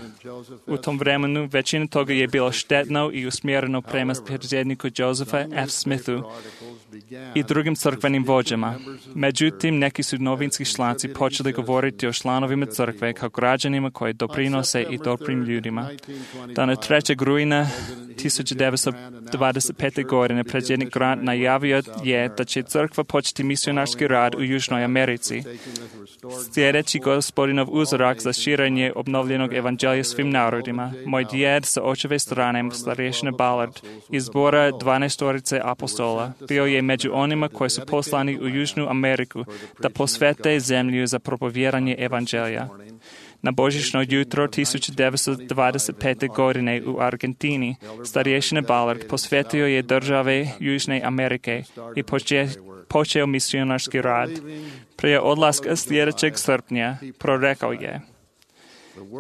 I: u tom vremenu, većina toga je bilo štetno i usmjereno prema predsjedniku Josepha F. Smithu i drugim crkvenim vođama. Međutim, neki su novinski članci počeli govoriti o članovima crkve kao građanima koji doprinose i dobrim ljudima. Dana 3. rujna 1925. godine predsjednik Grant najavio je da će crkva početi misionarski rad u Južnoj Americi. Sljedeći Gospodinov uzorak za širenje obnovljenog evanđelja svim narodima. Moj djed sa očeve strane, starješina Ballard, iz zbora 12 apostola, bio je među onima koji su poslani u Južnu Ameriku da posvete zemlju za propovjedanje evanđelja. Na božićno jutro 1925. godine u Argentini starješina Ballard posvetio je države Južne Amerike i počeo misionarski rad. Prije odlaska sljedećeg srpnja prorekao je: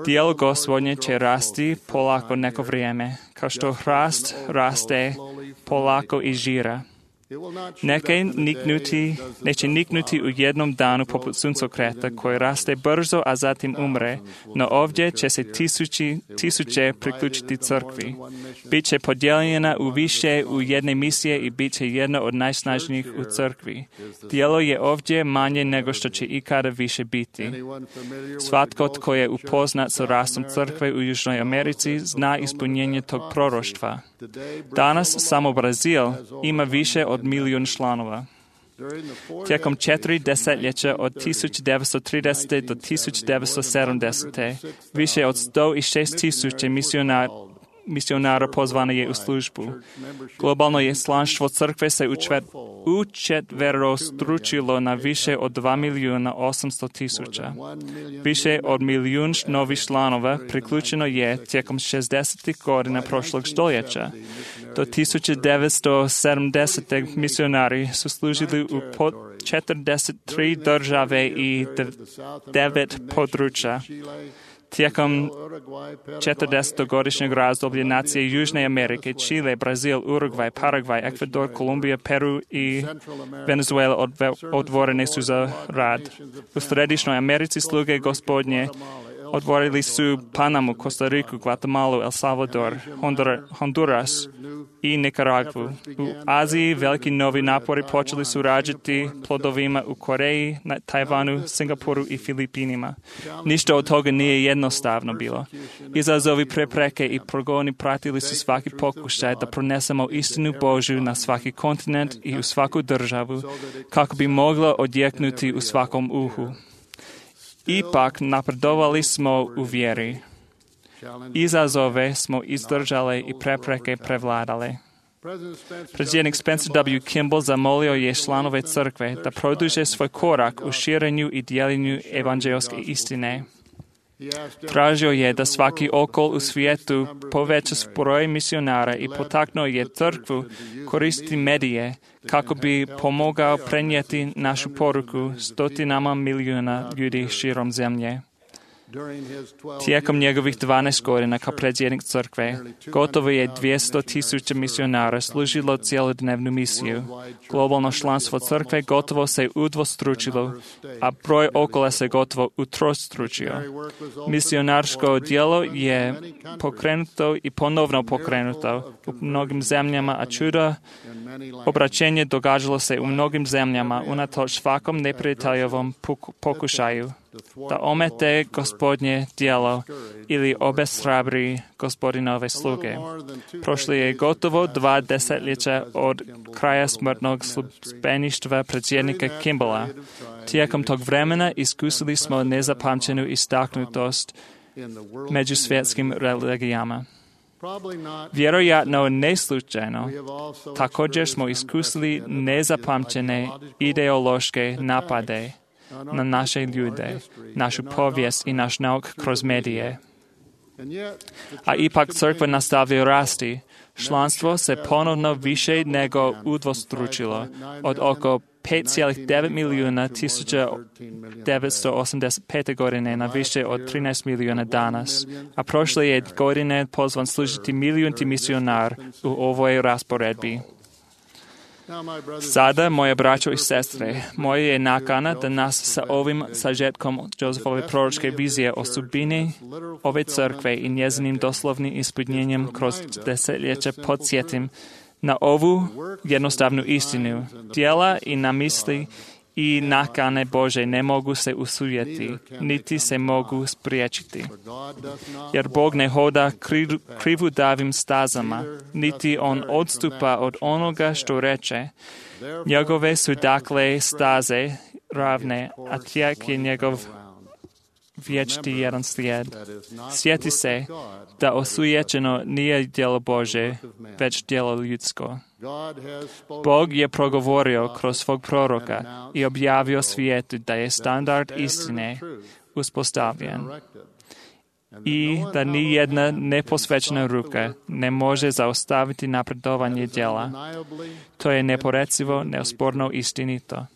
I: Djelo Gospodnje će rasti polako neko vrijeme, kao što hrast raste polako i žira. Neće niknuti u jednom danu poput suncokreta koji raste brzo, a zatim umre, no ovdje će se tisuće priključiti crkvi. Biće podijeljena u više u jedne misije i bit će jedna od najsnažnijih u crkvi. Djelo je ovdje manje nego što će ikada više biti. Svatko tko je upoznat sa rastom crkve u Južnoj Americi zna ispunjenje tog proroštva. Danas samo Brazil ima više od 1 milijun članova. Tijekom 4 desetljeća od 1930. do 1970. više od 106,000 misionara pozvano je u službu. Globalno je članstvo crkve se učetverostručilo na više od 2.800.000. Više od 1 milijun novih članova priključeno je tijekom 60. godina prošlog stoljeća. Do 1970. misionari su služili u 43 države i 9 područja. Tijekom 40-godišnjeg razdoblja nacije Južne Amerike, Čile, Brazil, Urugvaj, Paragvaj, Ekvador, Kolumbija, Peru i Venezuela otvorene su za rad. U Središnjoj Americi sluge Gospodnje otvorili su Panamu, Kostariku, Guatemalu, El Salvador, Honduras i Nikaragvu. U Aziji veliki novi napori počeli su rađati plodovima u Koreji, na Tajvanu, Singapuru i Filipinima. Ništa od toga nije jednostavno bilo. Izazovi, prepreke i progoni pratili su svaki pokušaj da pronesemo istinu Božju na svaki kontinent i u svaku državu, kako bi moglo odjeknuti u svakom uhu. Ipak napredovali smo u vjeri. Izazove smo izdržali i prepreke prevladali. Predsjednik Spencer W. Kimball zamolio je članove crkve da produže svoj korak u širenju i dijeljenju evanđelske istine. Tražio je da svaki okol u svijetu poveća broj misionara i potaknuo je crkvu koristiti medije kako bi pomogao prenijeti našu poruku stotinama milijuna ljudi širom zemlje. Tijekom njegovih 12 godina kao predsjednik crkve, gotovo je 200,000 misionara služilo cjelodnevnu misiju. Globalno članstvo crkve gotovo se udvostručilo, a broj okola se gotovo utrostručio. Misionarsko djelo je pokrenuto i ponovno pokrenuto u mnogim zemljama, a čudo obraćenje događalo se u mnogim zemljama unatoč svakom neprijateljovom pokušaju da omete Gospodnje djelo ili obeshrabri Gospodinove sluge. Prošli je gotovo 2 desetljeća od kraja smrtnog službeništva predsjednika Kimballa. Tijekom tog vremena iskusili smo nezapamćenu istaknutost među svjetskim religijama. Vjerojatno neslučajno, također smo iskusili nezapamćene ideološke napade na naše ljude, našu povijest i naš nauk kroz medije. A ipak crkva nastavlja rasti. Članstvo se ponovno više nego udvostručilo od oko 5,9 milijuna 1985. godine na više od 13 milijuna danas, a prošle je godine pozvan služiti milijunti misionar u ovoj rasporedbi. Sada, moje braćo i sestre, moja je nakana da nas sa ovim sažetkom Josephove proročke vizije o sudbini ove crkve i njezinim doslovnim ispunjenjem kroz desetljeća podsjetim na ovu jednostavnu istinu. Djela i namisli i nakane Bože ne mogu se usujeti, niti se mogu spriječiti. Jer Bog ne hoda krivudavim stazama, niti on odstupa od onoga što reče. Njegove su dakle staze ravne, a tijek je njegov vječni jedan slijed. Sjeti se da osujećeno nije djelo Bože, već djelo ljudsko. Bog je progovorio kroz svog proroka i objavio svijetu da je standard istine uspostavljen i da ni jedna neposvećena ruka ne može zaustaviti napredovanje djela. To je neporecivo, neosporno istinito.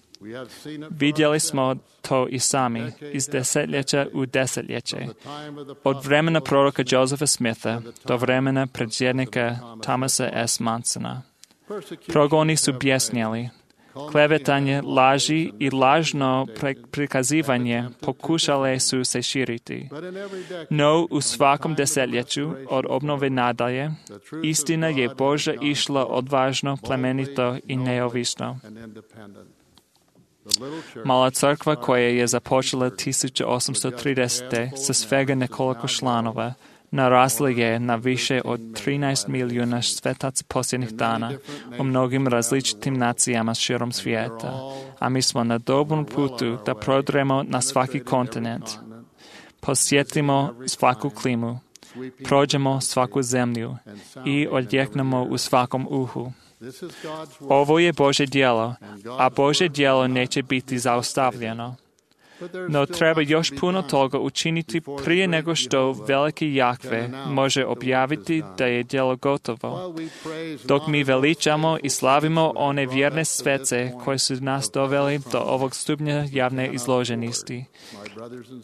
I: Vidjeli smo to i sami, iz desetljeća u desetljeće. Od vremena proroka Josepha Smitha do vremena predsjednika Thomasa S. Monsona. Progoni su bjesnjeli. Klevetanje, laži i lažno prikazivanje pokušale su se širiti. No, u svakom desetljeću od obnove nadalje, istina je Božja išla odvažno, plemenito i neovisno. Mala crkva koja je započela 1830. sa svega nekoliko članova, narasla je na više od 13 milijuna svetaca posljednjih dana u mnogim različitim nacijama širom svijeta, a mi smo na dobrom putu da prodremo na svaki kontinent. Posjetimo svaku klimu, prođemo svaku zemlju i odjeknemo u svakom uhu. Ovo je Božje djelo, a Božje djelo neće biti zaustavljeno. No treba još puno toga učiniti prije nego što veliki Jahve može objaviti da je djelo gotovo. Dok mi veličamo i slavimo one vjerne svece koje su nas doveli do ovog stupnja javne izloženosti.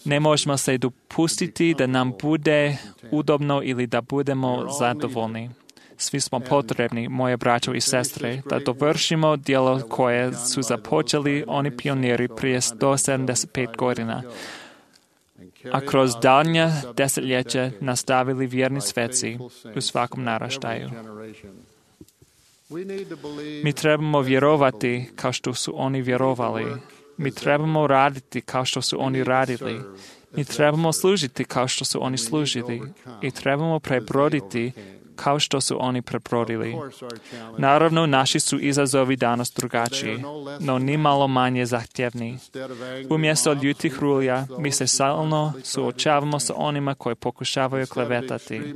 I: Ne možemo se dopustiti da nam bude udobno ili da budemo zadovoljni. Svi smo potrebni, moje braćo i sestre, da dovršimo djelo koje su započeli oni pioniri prije 175 godina, a kroz daljnja desetljeća nastavili vjerni sveci u svakom naraštaju. Mi trebamo vjerovati kao što su oni vjerovali. Mi trebamo raditi kao što su oni radili. Mi trebamo služiti kao što su oni služili. I trebamo prebroditi kao što su oni prebrodili. Naravno, naši su izazovi danas drugačiji, no ni malo manje zahtjevni. Umjesto ljutih rulja, mi se stalno suočavamo sa onima koji pokušavaju klevetati.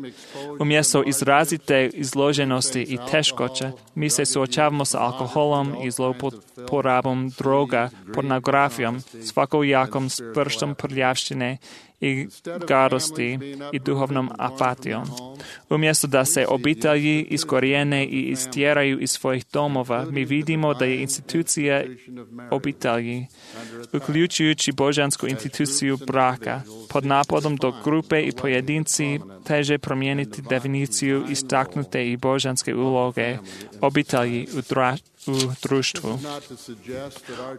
I: Umjesto izrazite izloženosti i teškoća, mi se suočavamo sa alkoholom i zlouporabom droga, pornografijom, svakojakom prstom prljavštine i gadosti i duhovnom apatijom. Umjesto da se obitelji iskorijene i istjeraju iz svojih domova, mi vidimo da je institucija obitelji, uključujući božansku instituciju braka, pod napadom dok grupe i pojedinci teže promijeniti definiciju istaknute i božanske uloge obitelji u društvu.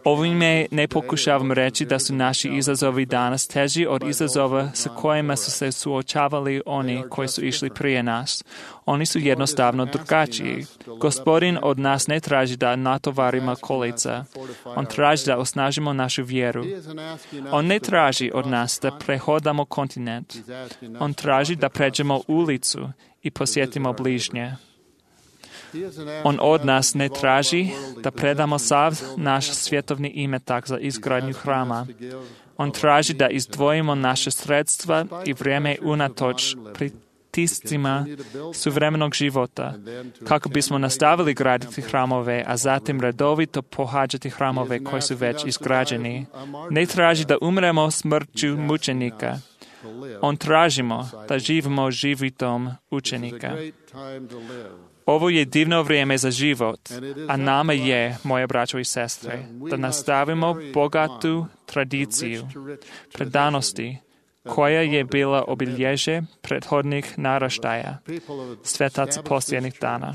I: Ovime ne pokušavam reći da su naši izazovi danas teži od izazova sa kojima su se suočavali oni koji su išli prije nas. Oni su jednostavno drugačiji. Gospodin od nas ne traži da natovarimo kolica. On traži da osnažimo našu vjeru. On ne traži od nas da prehodamo kontinent. On traži da pređemo ulicu i posjetimo bližnje. On od nas ne traži da predamo sav naš svjetovni imetak za izgradnju hrama. On traži da izdvojimo naše sredstva i vrijeme unatoč pritiscima suvremenog života, kako bismo nastavili graditi hramove, a zatim redovito pohađati hramove koji su već izgrađeni. Ne traži da umremo smrću mučenika. On tražimo da živimo životom učenika. Ovo je divno vrijeme za život, a nama je, moje braćo i sestre, da nastavimo bogatu tradiciju predanosti koja je bila obilježje prethodnih naraštaja, svetaca posljednjih dana.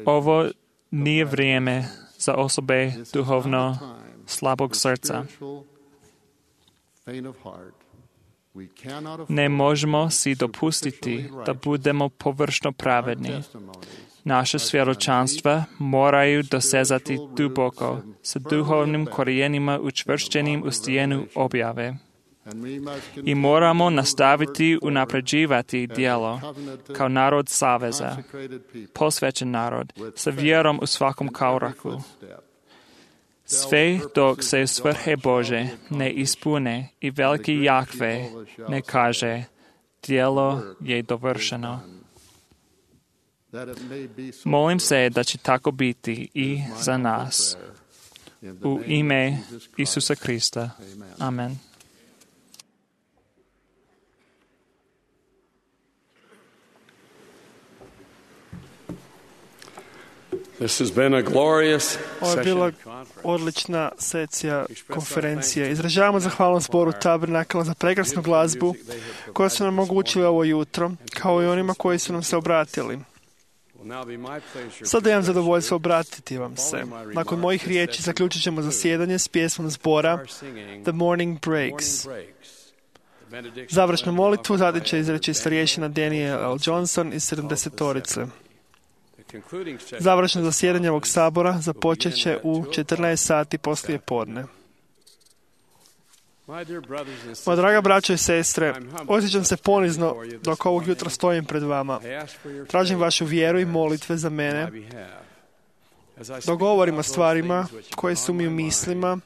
I: Ovo nije vrijeme za osobe duhovno slabog srca. Ne možemo si dopustiti da budemo površno pravedni. Naše svjedočanstva moraju dosezati duboko, sa duhovnim korijenima učvršćenim u stijenu objave. I moramo nastaviti unapređivati djelo kao narod saveza, posvećen narod, sa vjerom u svakom koraku. Sve dok se svrhe Bože ne ispune i veliki Jahve ne kaže, djelo je dovršeno. Molim se da će tako biti i za nas. U ime Isusa Krista. Amen.
B: Ovo je bila odlična sekcija konferencije. Izražavamo zahvalnost zboru Tabernakla za prekrasnu glazbu koju su nam omogućili ovo jutro, kao i onima koji su nam se obratili. Sada imam zadovoljstvo obratiti vam se. Nakon mojih riječi zaključit ćemo zasjedanje s pjesmom zbora The Morning Breaks. Završnu molitvu zatim će izreći starješina Daniel L. Johnson iz 70-torice. Završno zasjedanje ovog sabora započet će u 14 sati poslije podne. Moja draga braćo i sestre, osjećam se ponizno dok ovog jutra stojim pred vama. Tražim vašu vjeru i molitve za mene. Dok govorim o stvarima koje su mi u mislima,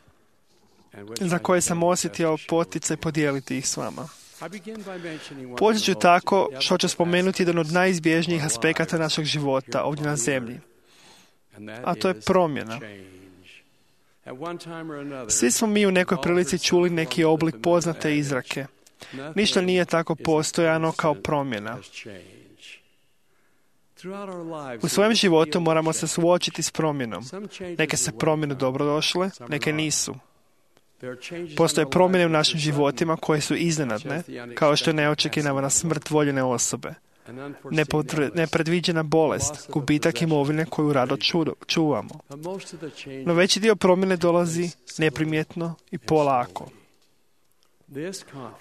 B: za koje sam osjetio poticaj podijeliti ih s vama. Počet ću tako što ću spomenuti jedan od najizbježnijih aspekata našeg života ovdje na zemlji, a to je promjena. Svi smo mi u nekoj prilici čuli neki oblik poznate izrake. Ništa nije tako postojano kao promjena. U svojem životu moramo se suočiti s promjenom. Neke se promjene dobrodošle, neke nisu. Postoje promjene u našim životima koje su iznenadne, kao što je neočekivana smrt voljene osobe, nepredviđena bolest, gubitak imovine koju rado čuvamo. No veći dio promjene dolazi neprimjetno i polako.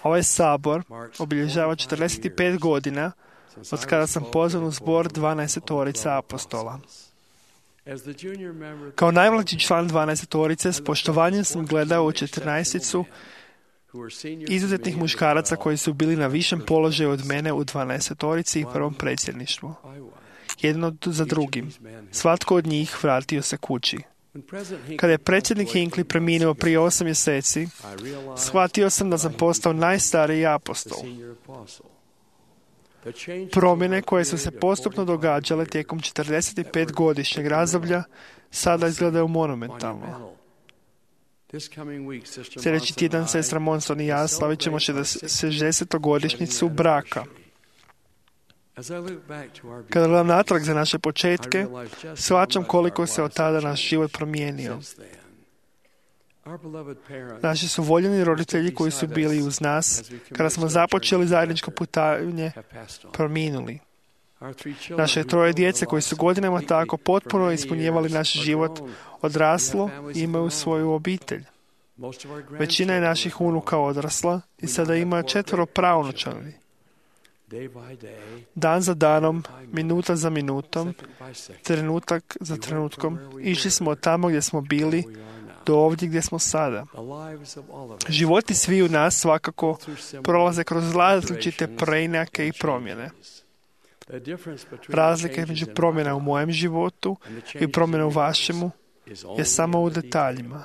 B: Ovaj sabor obilježava 45 godina od kada sam pozvan u zbor 12-torica apostola. Kao najmlađi član 12-torice s poštovanjem sam gledao u 14-icu izuzetnih muškaraca koji su bili na višem položaju od mene u 12-torici i prvom predsjedništvu. Jedan za drugim. Svatko od njih vratio se kući. Kada je predsjednik Hinckley preminuo prije 8 mjeseci, shvatio sam da sam postao najstariji apostol. Promjene koje su se postupno događale tijekom 45-godišnjeg razdoblja sada izgledaju monumentalno. Sljedeći tjedan sestra Monson i ja slavit ćemo 60-godišnjicu braka. Kada gledam natrag za naše početke, shvaćam koliko se od tada naš život promijenio. Naši su voljeni roditelji koji su bili uz nas kada smo započeli zajedničko putovanje prominuli. Naše 3 djece koji su godinama tako potpuno ispunjevali naš život odraslo i imaju svoju obitelj. Većina je naših unuka odrasla i sada ima 4 praunučadi. Dan za danom, minuta za minutom, trenutak za trenutkom, išli smo od tamo gdje smo bili do ovdje gdje smo sada. Životi sviju nas svakako prolaze kroz različite preinake i promjene. Razlika između promjena u mojem životu i promjena u vašemu je samo u detaljima.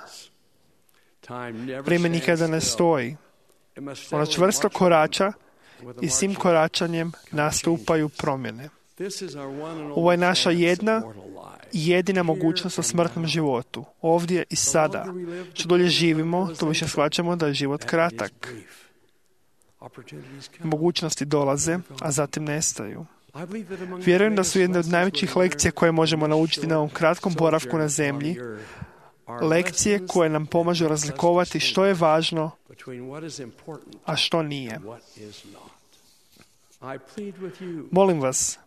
B: Vrijeme nikada ne stoji. Ono čvrsto korača i s tim koračanjem nastupaju promjene. Ovo je naša jedina mogućnost u smrtnom životu, ovdje i sada. Što dulje živimo, to više shvaćamo da je život kratak. Mogućnosti dolaze, a zatim nestaju. Vjerujem da su jedne od najvećih lekcija koje možemo naučiti na ovom kratkom boravku na zemlji, lekcije koje nam pomažu razlikovati što je važno, a što nije. Molim vas,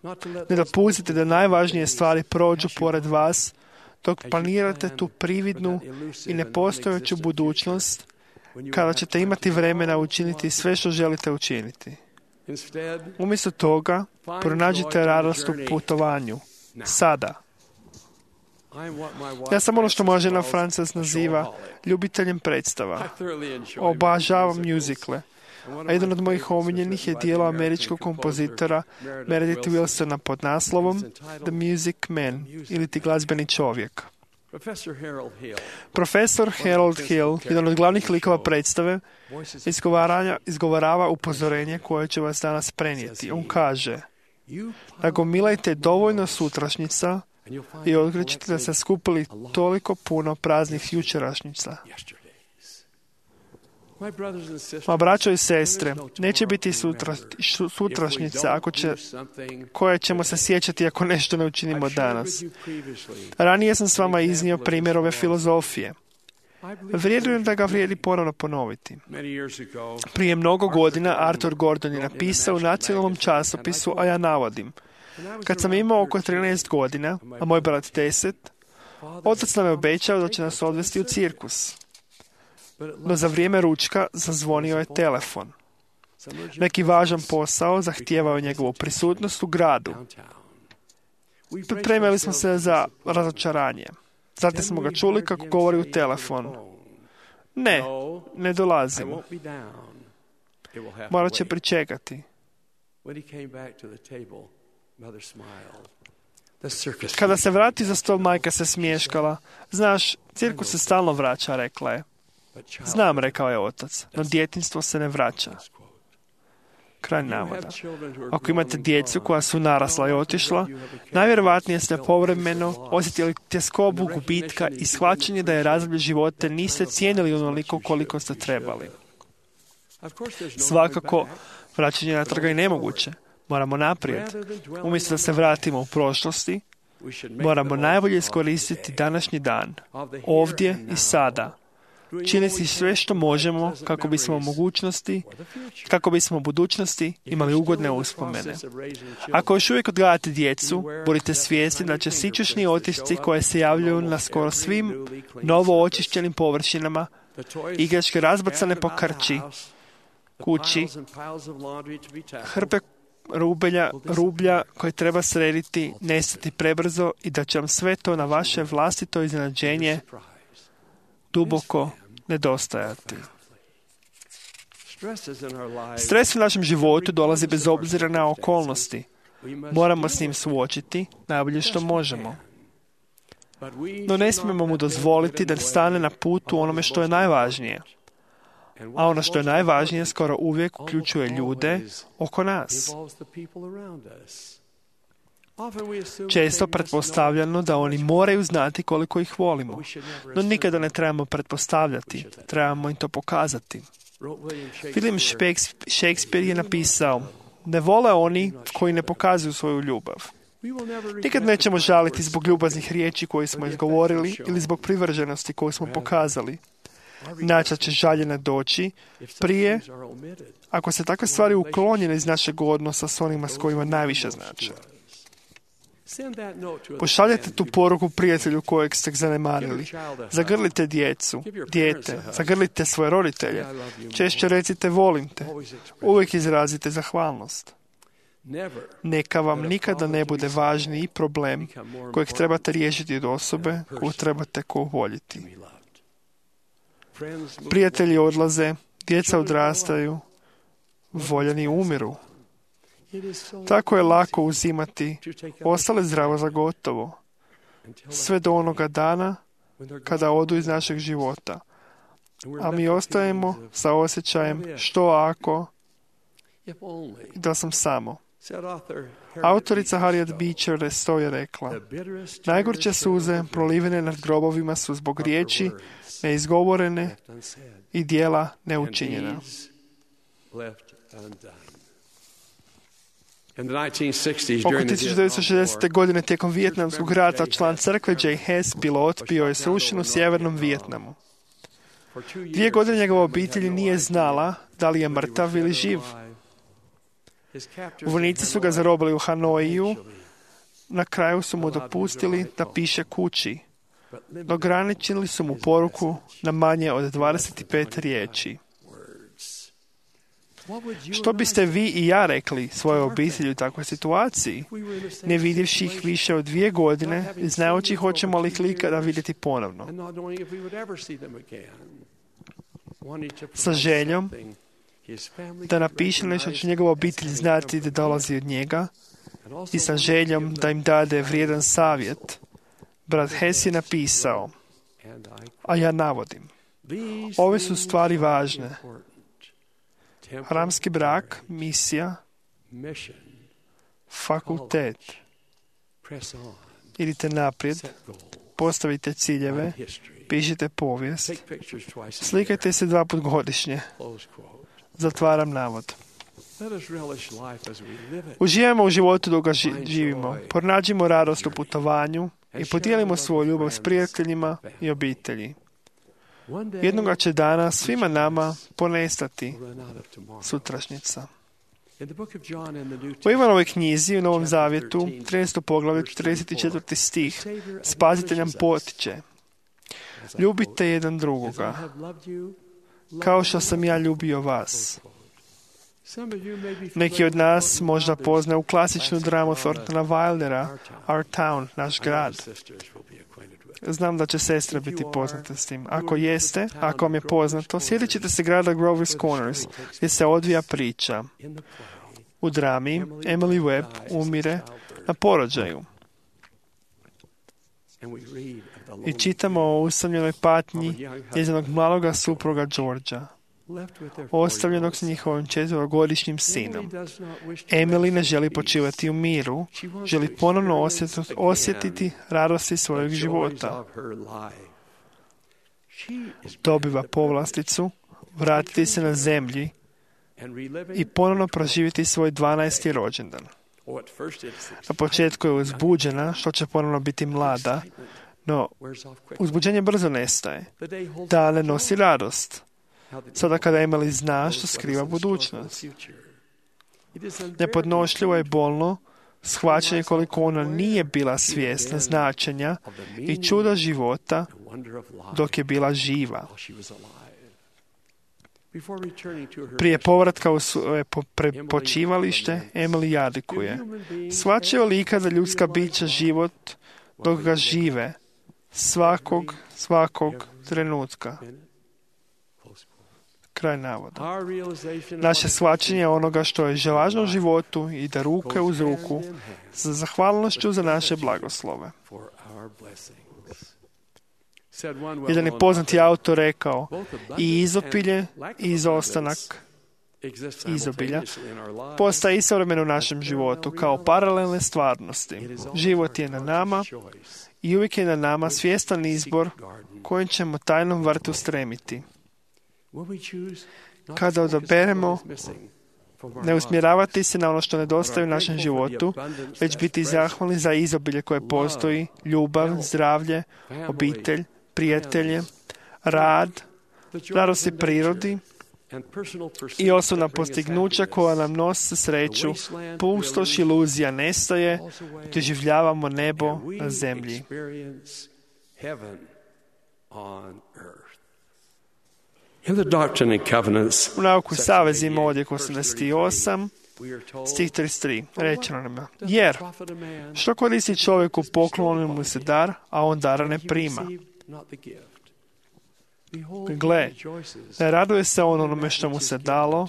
B: ne dopustite da najvažnije stvari prođu pored vas dok planirate tu prividnu i nepostojeću budućnost kada ćete imati vremena učiniti sve što želite učiniti. Umjesto toga, pronađite radost u putovanju. Sada. Ja sam ono što moja žena Frances naziva ljubiteljem predstava. Obožavam mjuzikle. A jedan od mojih omiljenih je dijelo američkog kompozitora Meredith Willsona pod naslovom The Music Man, ili ti glazbeni čovjek. Profesor Harold Hill, jedan od glavnih likova predstave, izgovarava upozorenje koje će vas danas prenijeti. On kaže: nagomilajte dovoljno sutrašnjica i otkrićete da ste skupili toliko puno praznih jučerašnjica. Ma braćo i sestre, neće biti sutrašnjica koje ćemo se sjećati ako nešto ne učinimo danas. Ranije sam s vama iznio primjer ove filozofije. Vjerujem da ga vrijedi ponovno ponoviti. Prije mnogo godina Arthur Gordon je napisao u nacionalnom časopisu, a ja navodim: kad sam imao oko 13 godina, a moj brat 10, otac nam je obećao da će nas odvesti u cirkus. No za vrijeme ručka zazvonio je telefon. Neki važan posao zahtijevao njegovu prisutnost u gradu. Pripremili smo se za razočaranje. Zatim smo ga čuli kako govori u telefon: ne dolazim. Morat će pričekati. Kada se vrati za stol, majka se smješkala. Znaš, cirkus se stalno vraća, rekla je. Znam, rekao je otac, no djetinjstvo se ne vraća. Kraj navoda. Ako imate djecu koja su narasla i otišla, najvjerojatnije ste povremeno osjetili tjeskobu gubitka i shvaćanje da je razdoblje života niste cijenili onoliko koliko ste trebali. Svakako, vraćanje natrag je nemoguće. Moramo naprijed. Umjesto da se vratimo u prošlosti, moramo najbolje iskoristiti današnji dan, ovdje i sada. Činiti sve što možemo kako bismo u budućnosti imali ugodne uspomene. Ako još uvijek odgajate djecu, budite svjesni da će sićušni otisci koje se javljaju na skoro svim novo očišćenim površinama, igračke razbacane po kući, hrpe rublja koje treba srediti, nestati prebrzo i da će vam sve to na vaše vlastito iznenađenje duboko nedostajati. Stres u našem životu dolazi bez obzira na okolnosti. Moramo s njim suočiti najbolje što možemo. No ne smijemo mu dozvoliti da stane na putu onome što je najvažnije. A ono što je najvažnije skoro uvijek uključuje ljude oko nas. Često pretpostavljamo da oni moraju znati koliko ih volimo, no nikada ne trebamo pretpostavljati, trebamo im to pokazati. William Shakespeare je napisao: ne vole oni koji ne pokazuju svoju ljubav. Nikad nećemo žaliti zbog ljubaznih riječi koje smo izgovorili ili zbog privrženosti koju smo pokazali. Načas će žaljenja doći prije ako se takve stvari uklonjene iz našeg odnosa s onima s kojima najviše znače. Pošaljete tu poruku prijatelju kojeg ste zanemarili. Zagrlite dijete, zagrlite svoje roditelje. Češće recite volim te. Uvijek izrazite zahvalnost. Neka vam nikada ne bude važniji problem kojeg trebate riješiti od osobe koju trebate voljeti. Prijatelji odlaze, djeca odrastaju, voljeni umiru. Tako je lako uzimati ostale zdravo za gotovo, sve do onoga dana kada odu iz našeg života. A mi ostajemo sa osjećajem što ako da sam samo. Autorica Harriet Beecher Stowe je rekla: najgorče suze prolivene nad grobovima su zbog riječi neizgovorene i djela neučinjena. Oko 1960. godine tijekom Vijetnamskog rata član crkve J. Hess, pilot, bio je srušen u sjevernom Vijetnamu. 2 godine njegova obitelj nije znala da li je mrtav ili živ. Vojnici su ga zarobili u Hanoiju. Na kraju su mu dopustili da piše kući. Ograničili su mu poruku na manje od 25 riječi. Što biste vi i ja rekli svojoj obitelji u takvoj situaciji, ne vidjevši ih više od 2 godine i znajući hoćemo li ih ikada vidjeti ponovno? Sa željom da napiše nešto će njegova obitelj znati da dolazi od njega i sa željom da im dade vrijedan savjet, brat Hess je napisao, a ja navodim: ove su stvari važne. Hramski brak, misija, fakultet. Idite naprijed, postavite ciljeve, pišite povijest, slikajte se 2 puta godišnje. Zatvaram navod. Uživajmo u životu dok ga živimo, pronađimo radost u putovanju i podijelimo svoju ljubav s prijateljima i obitelji. Jednoga će dana svima nama ponestati sutrašnjica. U Ivanovoj knjizi u Novom Zavjetu, 13. poglavlje, 34. stih, Spasitelj nam potiče: ljubite jedan drugoga, kao što sam ja ljubio vas. Neki od nas možda poznaju klasičnu dramu Thorntona Wildera, Our Town, naš grad. Znam da će sestra biti poznata s tim. Ako jeste, ako vam je poznato, sjetit ćete se grada Grover's Corners, gdje se odvija priča. U drami Emily Webb umire na porođaju. I čitamo o usamljenoj patnji njezinog maloga supruga Georgea, ostavljenog s njihovim 4-godišnjim sinom. Emily ne želi počivati u miru, želi ponovno osjetiti radosti svojeg života. Dobiva povlasticu, vratiti se na zemlji i ponovno proživjeti svoj 12. rođendan. Na početku je uzbuđena što će ponovno biti mlada, no uzbuđenje brzo nestaje. Dane nosi radost. Sada kada Emily zna što skriva budućnost. Nepodnošljivo je bolno shvaćanje koliko ona nije bila svjesna značenja i čuda života dok je bila živa. Prije povratka u svoje počivalište, Emily jadikuje: shvaćaju li ikada ljudska bića život dok ga žive, svakog trenutka? Kraj navoda. Naše shvaćanje onoga što je važno u životu ide ruke uz ruku za zahvalnošću za naše blagoslove. Jedan je poznati autor rekao: i izopilje i izostanak izobilja postaje istovremeno u našem životu kao paralelne stvarnosti. Život je na nama i uvijek je na nama svjestan izbor kojim ćemo tajnom vrtu stremiti. Kada odaberemo ne usmjeravati se na ono što nedostaje u našem životu, već biti zahvalni za izobilje koje postoji, ljubav, zdravlje, obitelj, prijatelje, rad, radosti prirodi i osobna postignuća koja nam nose sreću, pustoš iluzija nestaje, doživljavamo nebo na zemlji. U nauku savezima odjek 88, stih 33, rečeno nam je, jer što koristi čovjeku poklonjen mu se dar, a on dara ne prima? Gle, ne raduje se on onome što mu se dalo,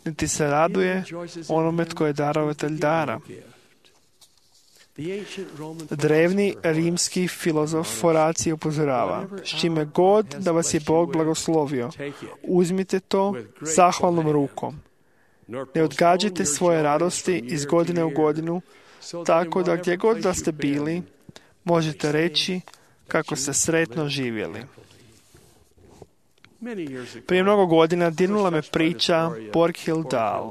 B: niti se raduje onome tko je darovatelj dara. Drevni rimski filozof Horacije upozorava, s čime god da vas je Bog blagoslovio, uzmite to zahvalnom rukom. Ne odgađajte svoje radosti iz godine u godinu, tako da gdje god da ste bili, možete reći kako ste sretno živjeli. Prije mnogo godina dirnula me priča Borghild Dahl.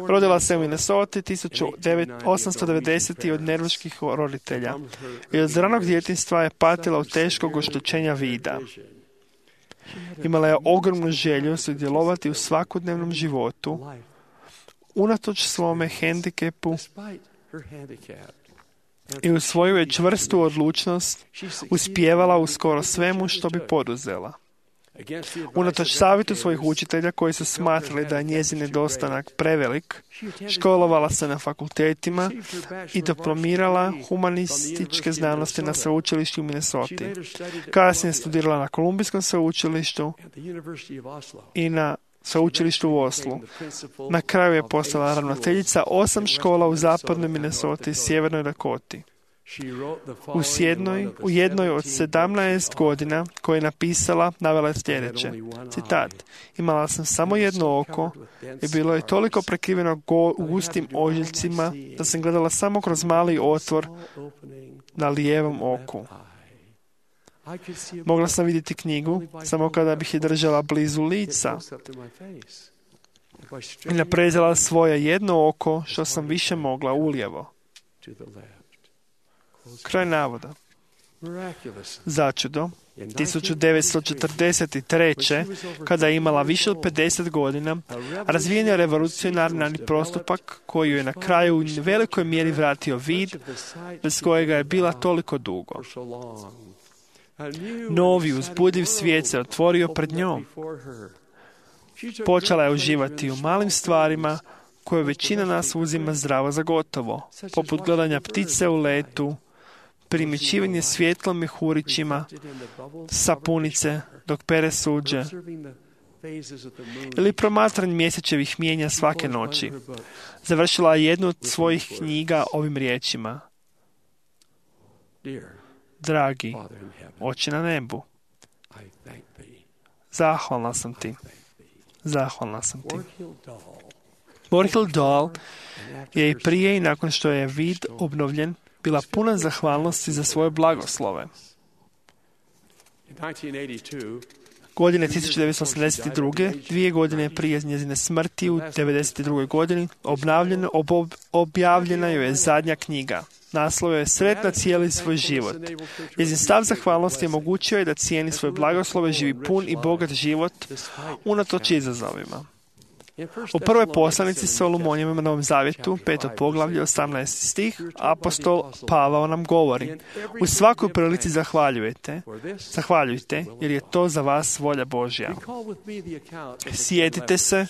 B: Rodila se u Minnesoti 1890. od nervaških roditelja i od ranog djetinjstva je patila od teškog oštećenja vida. Imala je ogromnu želju sudjelovati u svakodnevnom životu, unatoč svome hendikepu, i u svoju je čvrstu odlučnost uspijevala u skoro svemu što bi poduzela. Unatoč savjetu svojih učitelja koji su smatrali da je njezin nedostanak prevelik, školovala se na fakultetima i diplomirala humanističke znanosti na sveučilištu u Minnesoti. Kasnije studirala na Kolumbijskom sveučilištu i na sveučilištu u Oslu. Na kraju je postala ravnateljica 8 škola u zapadnoj Minnesoti i sjevernoj Dakoti. U jednoj od 17 godina koje je napisala, navela je sljedeće. Citat. Imala sam samo jedno oko i bilo je toliko prekriveno gustim ožiljcima da sam gledala samo kroz mali otvor na lijevom oku. Mogla sam vidjeti knjigu samo kada bih je držala blizu lica i naprezala svoje jedno oko što sam više mogla ulijevo. Kraj navoda. Začudo, 1943. kada je imala više od 50 godina, razvijen je revolucionarni postupak koji ju je na kraju u velikoj mjeri vratio vid, bez kojega je bila toliko dugo. Novi uzbudljiv svijet se otvorio pred njom. Počela je uživati u malim stvarima koje većina nas uzima zdravo za gotovo, poput gledanja ptice u letu, primjećivanje svjetlom mjehurićima, sapunice dok pere suđe, ili promatranje mjesečevih mijenja svake noći. Završila je jednu od svojih knjiga ovim riječima. Dragi, Oče na nebu, zahvalna sam ti. Zahvalna sam ti. Borghild Dahl je i prije i nakon što je vid obnovljen bila puna zahvalnosti za svoje blagoslove. Godine 1982. 2 godine prije njezine smrti u 1992. godini objavljena joj je zadnja knjiga. Naslov je Sretna cijeli svoj život. Njezin stav zahvalnosti omogućio je da cijeni svoje blagoslove, živi pun i bogat život unatoč izazovima. U prvoj poslanici Solomonijevim na Novom Zavjetu, 5. poglavlje, 18. stih, apostol Pavao nam govori: u svakoj prilici zahvaljujte, jer je to za vas volja Božja. Sjetite se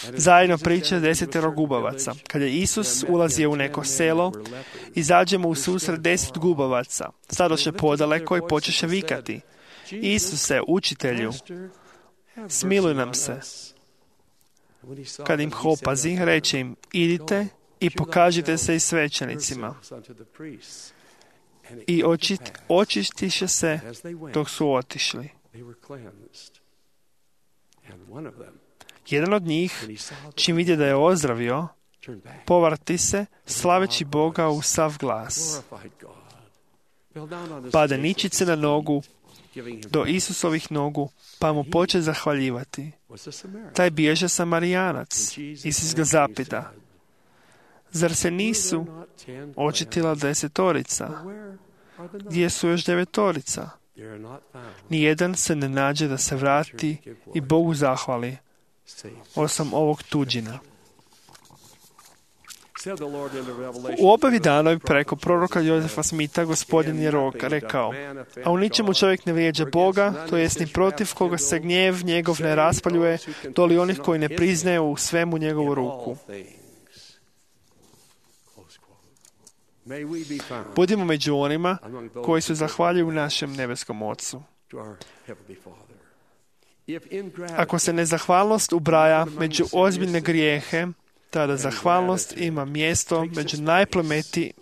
B: zajedno priče 10 gubavaca. Kada je Isus ulazio u neko selo, izađe mu u susret 10 gubavaca. Stadoše podaleko i počeše vikati: Isuse, učitelju, smiluj nam se. Kad im opazi, reče im: idite i pokažite se i svećenicima. I očistiše se dok su otišli. Jedan od njih, čim vidje da je ozdravio, povrati se, slaveći Boga u sav glas. Pade ničice na nogu, do Isusovih nogu, pa mu poče zahvaljivati. Taj bježe Samarijanac. Isus ga zapita: zar se nisu očitila 10? Gdje su još 9? Nijedan se ne nađe da se vrati i Bogu zahvali, osim ovog tuđina. U objavi danoj preko proroka Jozefa Smitha Gospodin je rekao: a u ničemu čovjek ne vrijeđa Boga, to jest ni protiv koga se gnjev njegov ne raspaljuje, doli onih koji ne priznaje u svemu njegovu ruku. Budimo među onima koji su zahvaljuju našem nebeskom Ocu. Ako se nezahvalnost ubraja među ozbiljne grijehe, tada zahvalnost ima mjesto među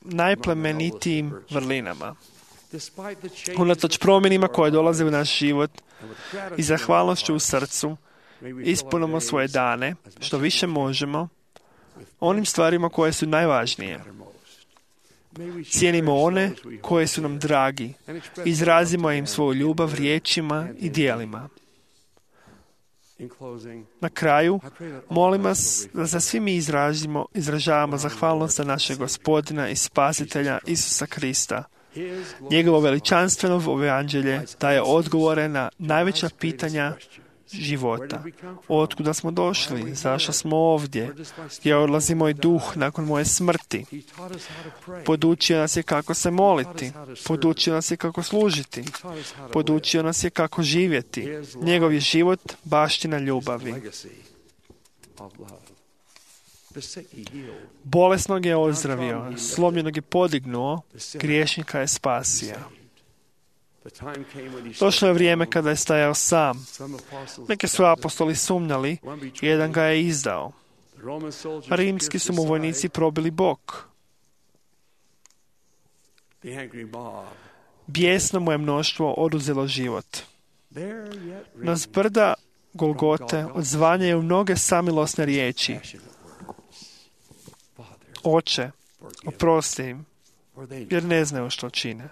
B: najplemenitijim vrlinama. Unatoč promjenima koje dolaze u naš život i zahvalnošću u srcu, ispunimo svoje dane, što više možemo, onim stvarima koje su najvažnije. Cijenimo one koje su nam dragi, izrazimo im svoju ljubav riječima i djelima. Na kraju, molim vas da za svi mi izražavamo zahvalnost za našeg Gospodina i Spasitelja Isusa Krista. Njegovo veličanstveno evanđelje daje odgovore na najveća pitanja života. Otkuda smo došli? Zašto smo ovdje? Gdje odlazi moj duh nakon moje smrti? Podučio nas je kako se moliti. Podučio nas je kako služiti. Podučio nas je kako živjeti. Njegov je život baština ljubavi. Bolesnog je ozdravio, slomljenog je podignuo, griješnika je spasio. Došlo je vrijeme kada je stajao sam. Neki su apostoli sumnjali, jedan ga je izdao. Rimski su mu vojnici probili bok. Bijesno mu je mnoštvo oduzelo život. Na zbrda Golgote odzvanjaju mnoge samilosne riječi: Oče, oprosti im, jer ne znaju što čine.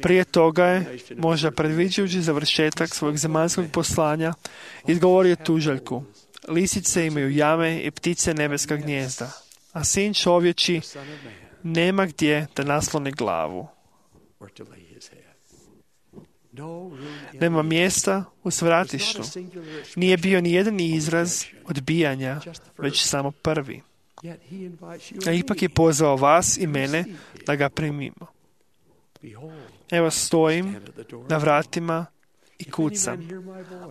B: Prije toga je, možda predviđajući završetak svojeg zemaljskog poslanja, izgovorio tužaljku: lisice imaju jame i ptice nebeska gnijezda, a sin čovječi nema gdje da nasloni glavu. Nema mjesta u svratištu. Nije bio ni jedan izraz odbijanja, već samo prvi. A ipak je pozvao vas i mene da ga primimo. Evo stojim na vratima i kucam.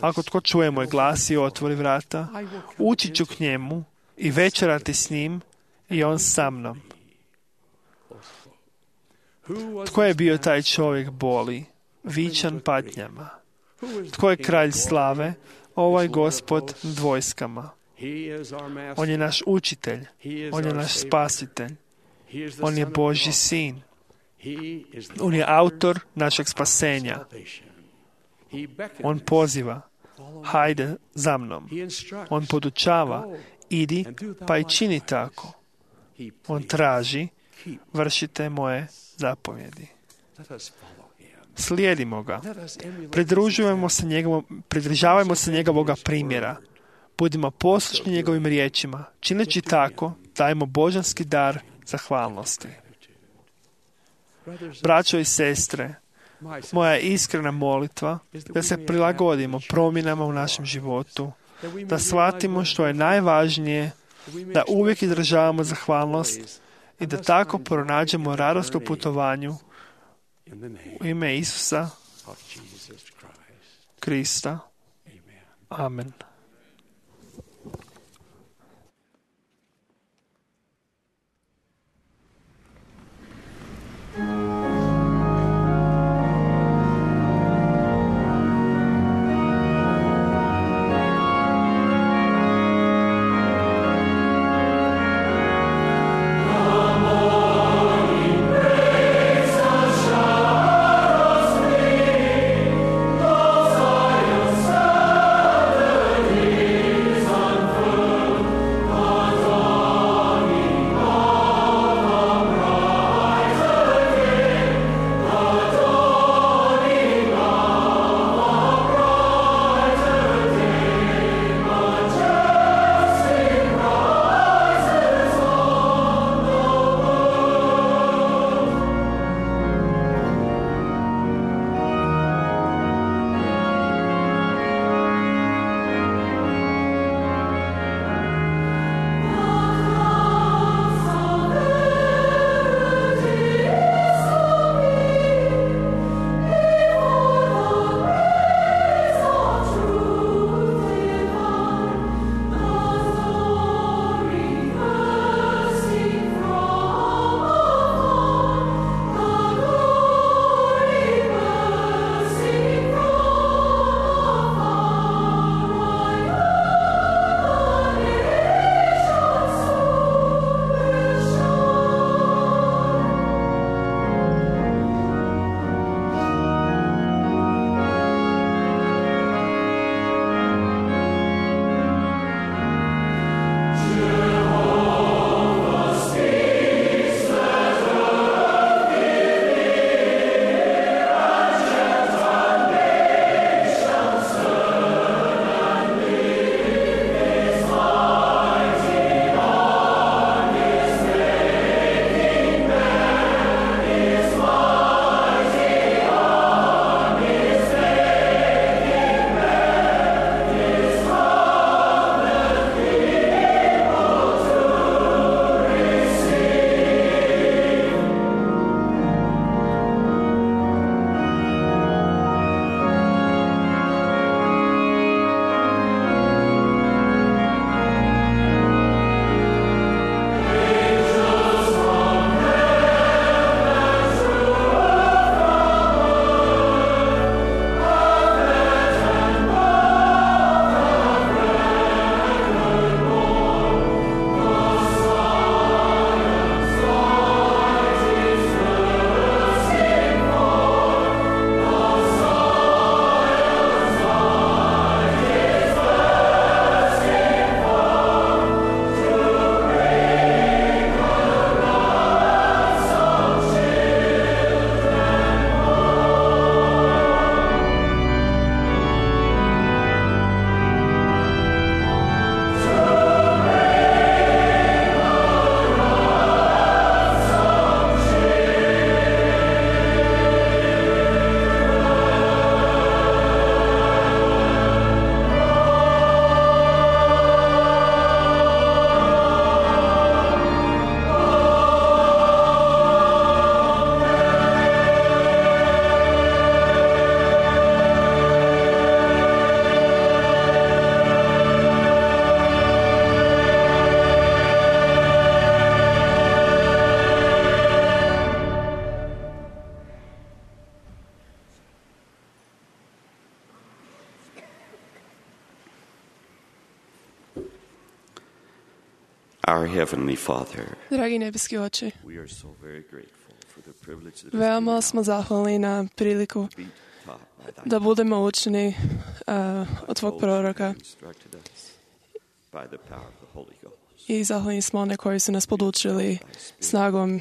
B: Ako tko čuje moj glas i otvori vrata, ući ću k njemu i večerati s njim i on sa mnom. Tko je bio taj čovjek boli, vičan patnjama? Tko je kralj slave, ovaj Gospod nad vojskama? On je naš učitelj, on je naš spasitelj, on je Božji sin. On je autor našeg spasenja. On poziva: hajde za mnom. On podučava: idi pa i čini tako. On traži: vršite moje zapovjedi. Slijedimo ga. Pridržavajmo se njegovoga primjera. Budimo poslušni njegovim riječima. Čineći tako, dajmo božanski dar zahvalnosti. Braćo i sestre, moja iskrena molitva da se prilagodimo promjenama u našem životu, da shvatimo što je najvažnije, da uvijek izražavamo zahvalnost i da tako pronađemo radost u putovanju u ime Isusa Krista. Amen.
J: Son Our Heavenly Father,
H: Dragi nebeski oče,
J: we are so very grateful for the privilege that
H: veoma smo zahvalni na priliku
J: be taught by thy
H: da budemo učeni od tvog proroka
J: instructed us by the power of the Holy Ghost.
H: i zahvalni smo one koji su nas podučili snagom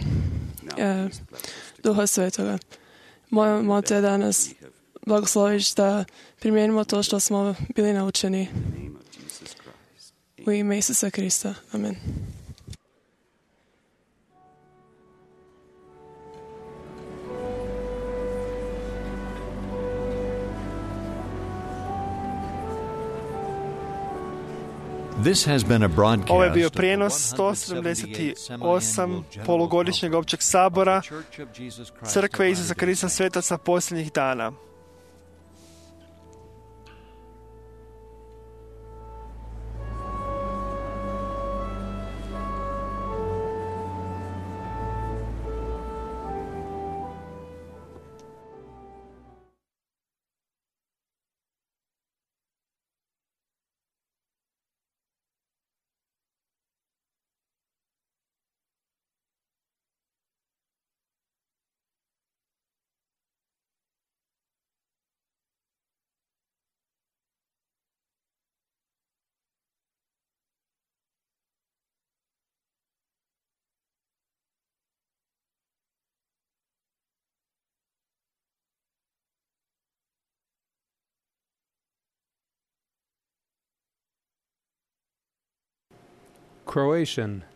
H: Duha Svetoga. Molimo te da nas blagosloviš da primijenimo to što smo bili naučeni
J: In the name of Jesus Christ.
H: u ime Isusa Krista. Amen.
A: This has been a broadcast
B: Ovo je bio
A: of the
B: prijenos 178 polugodišnjeg općeg sabora
A: Church of Jesus Christ
B: Crkve
A: of
B: Isusa
A: Latter-day
B: Krista
A: Saints.
B: svetaca posljednjih dana.
K: Croatian.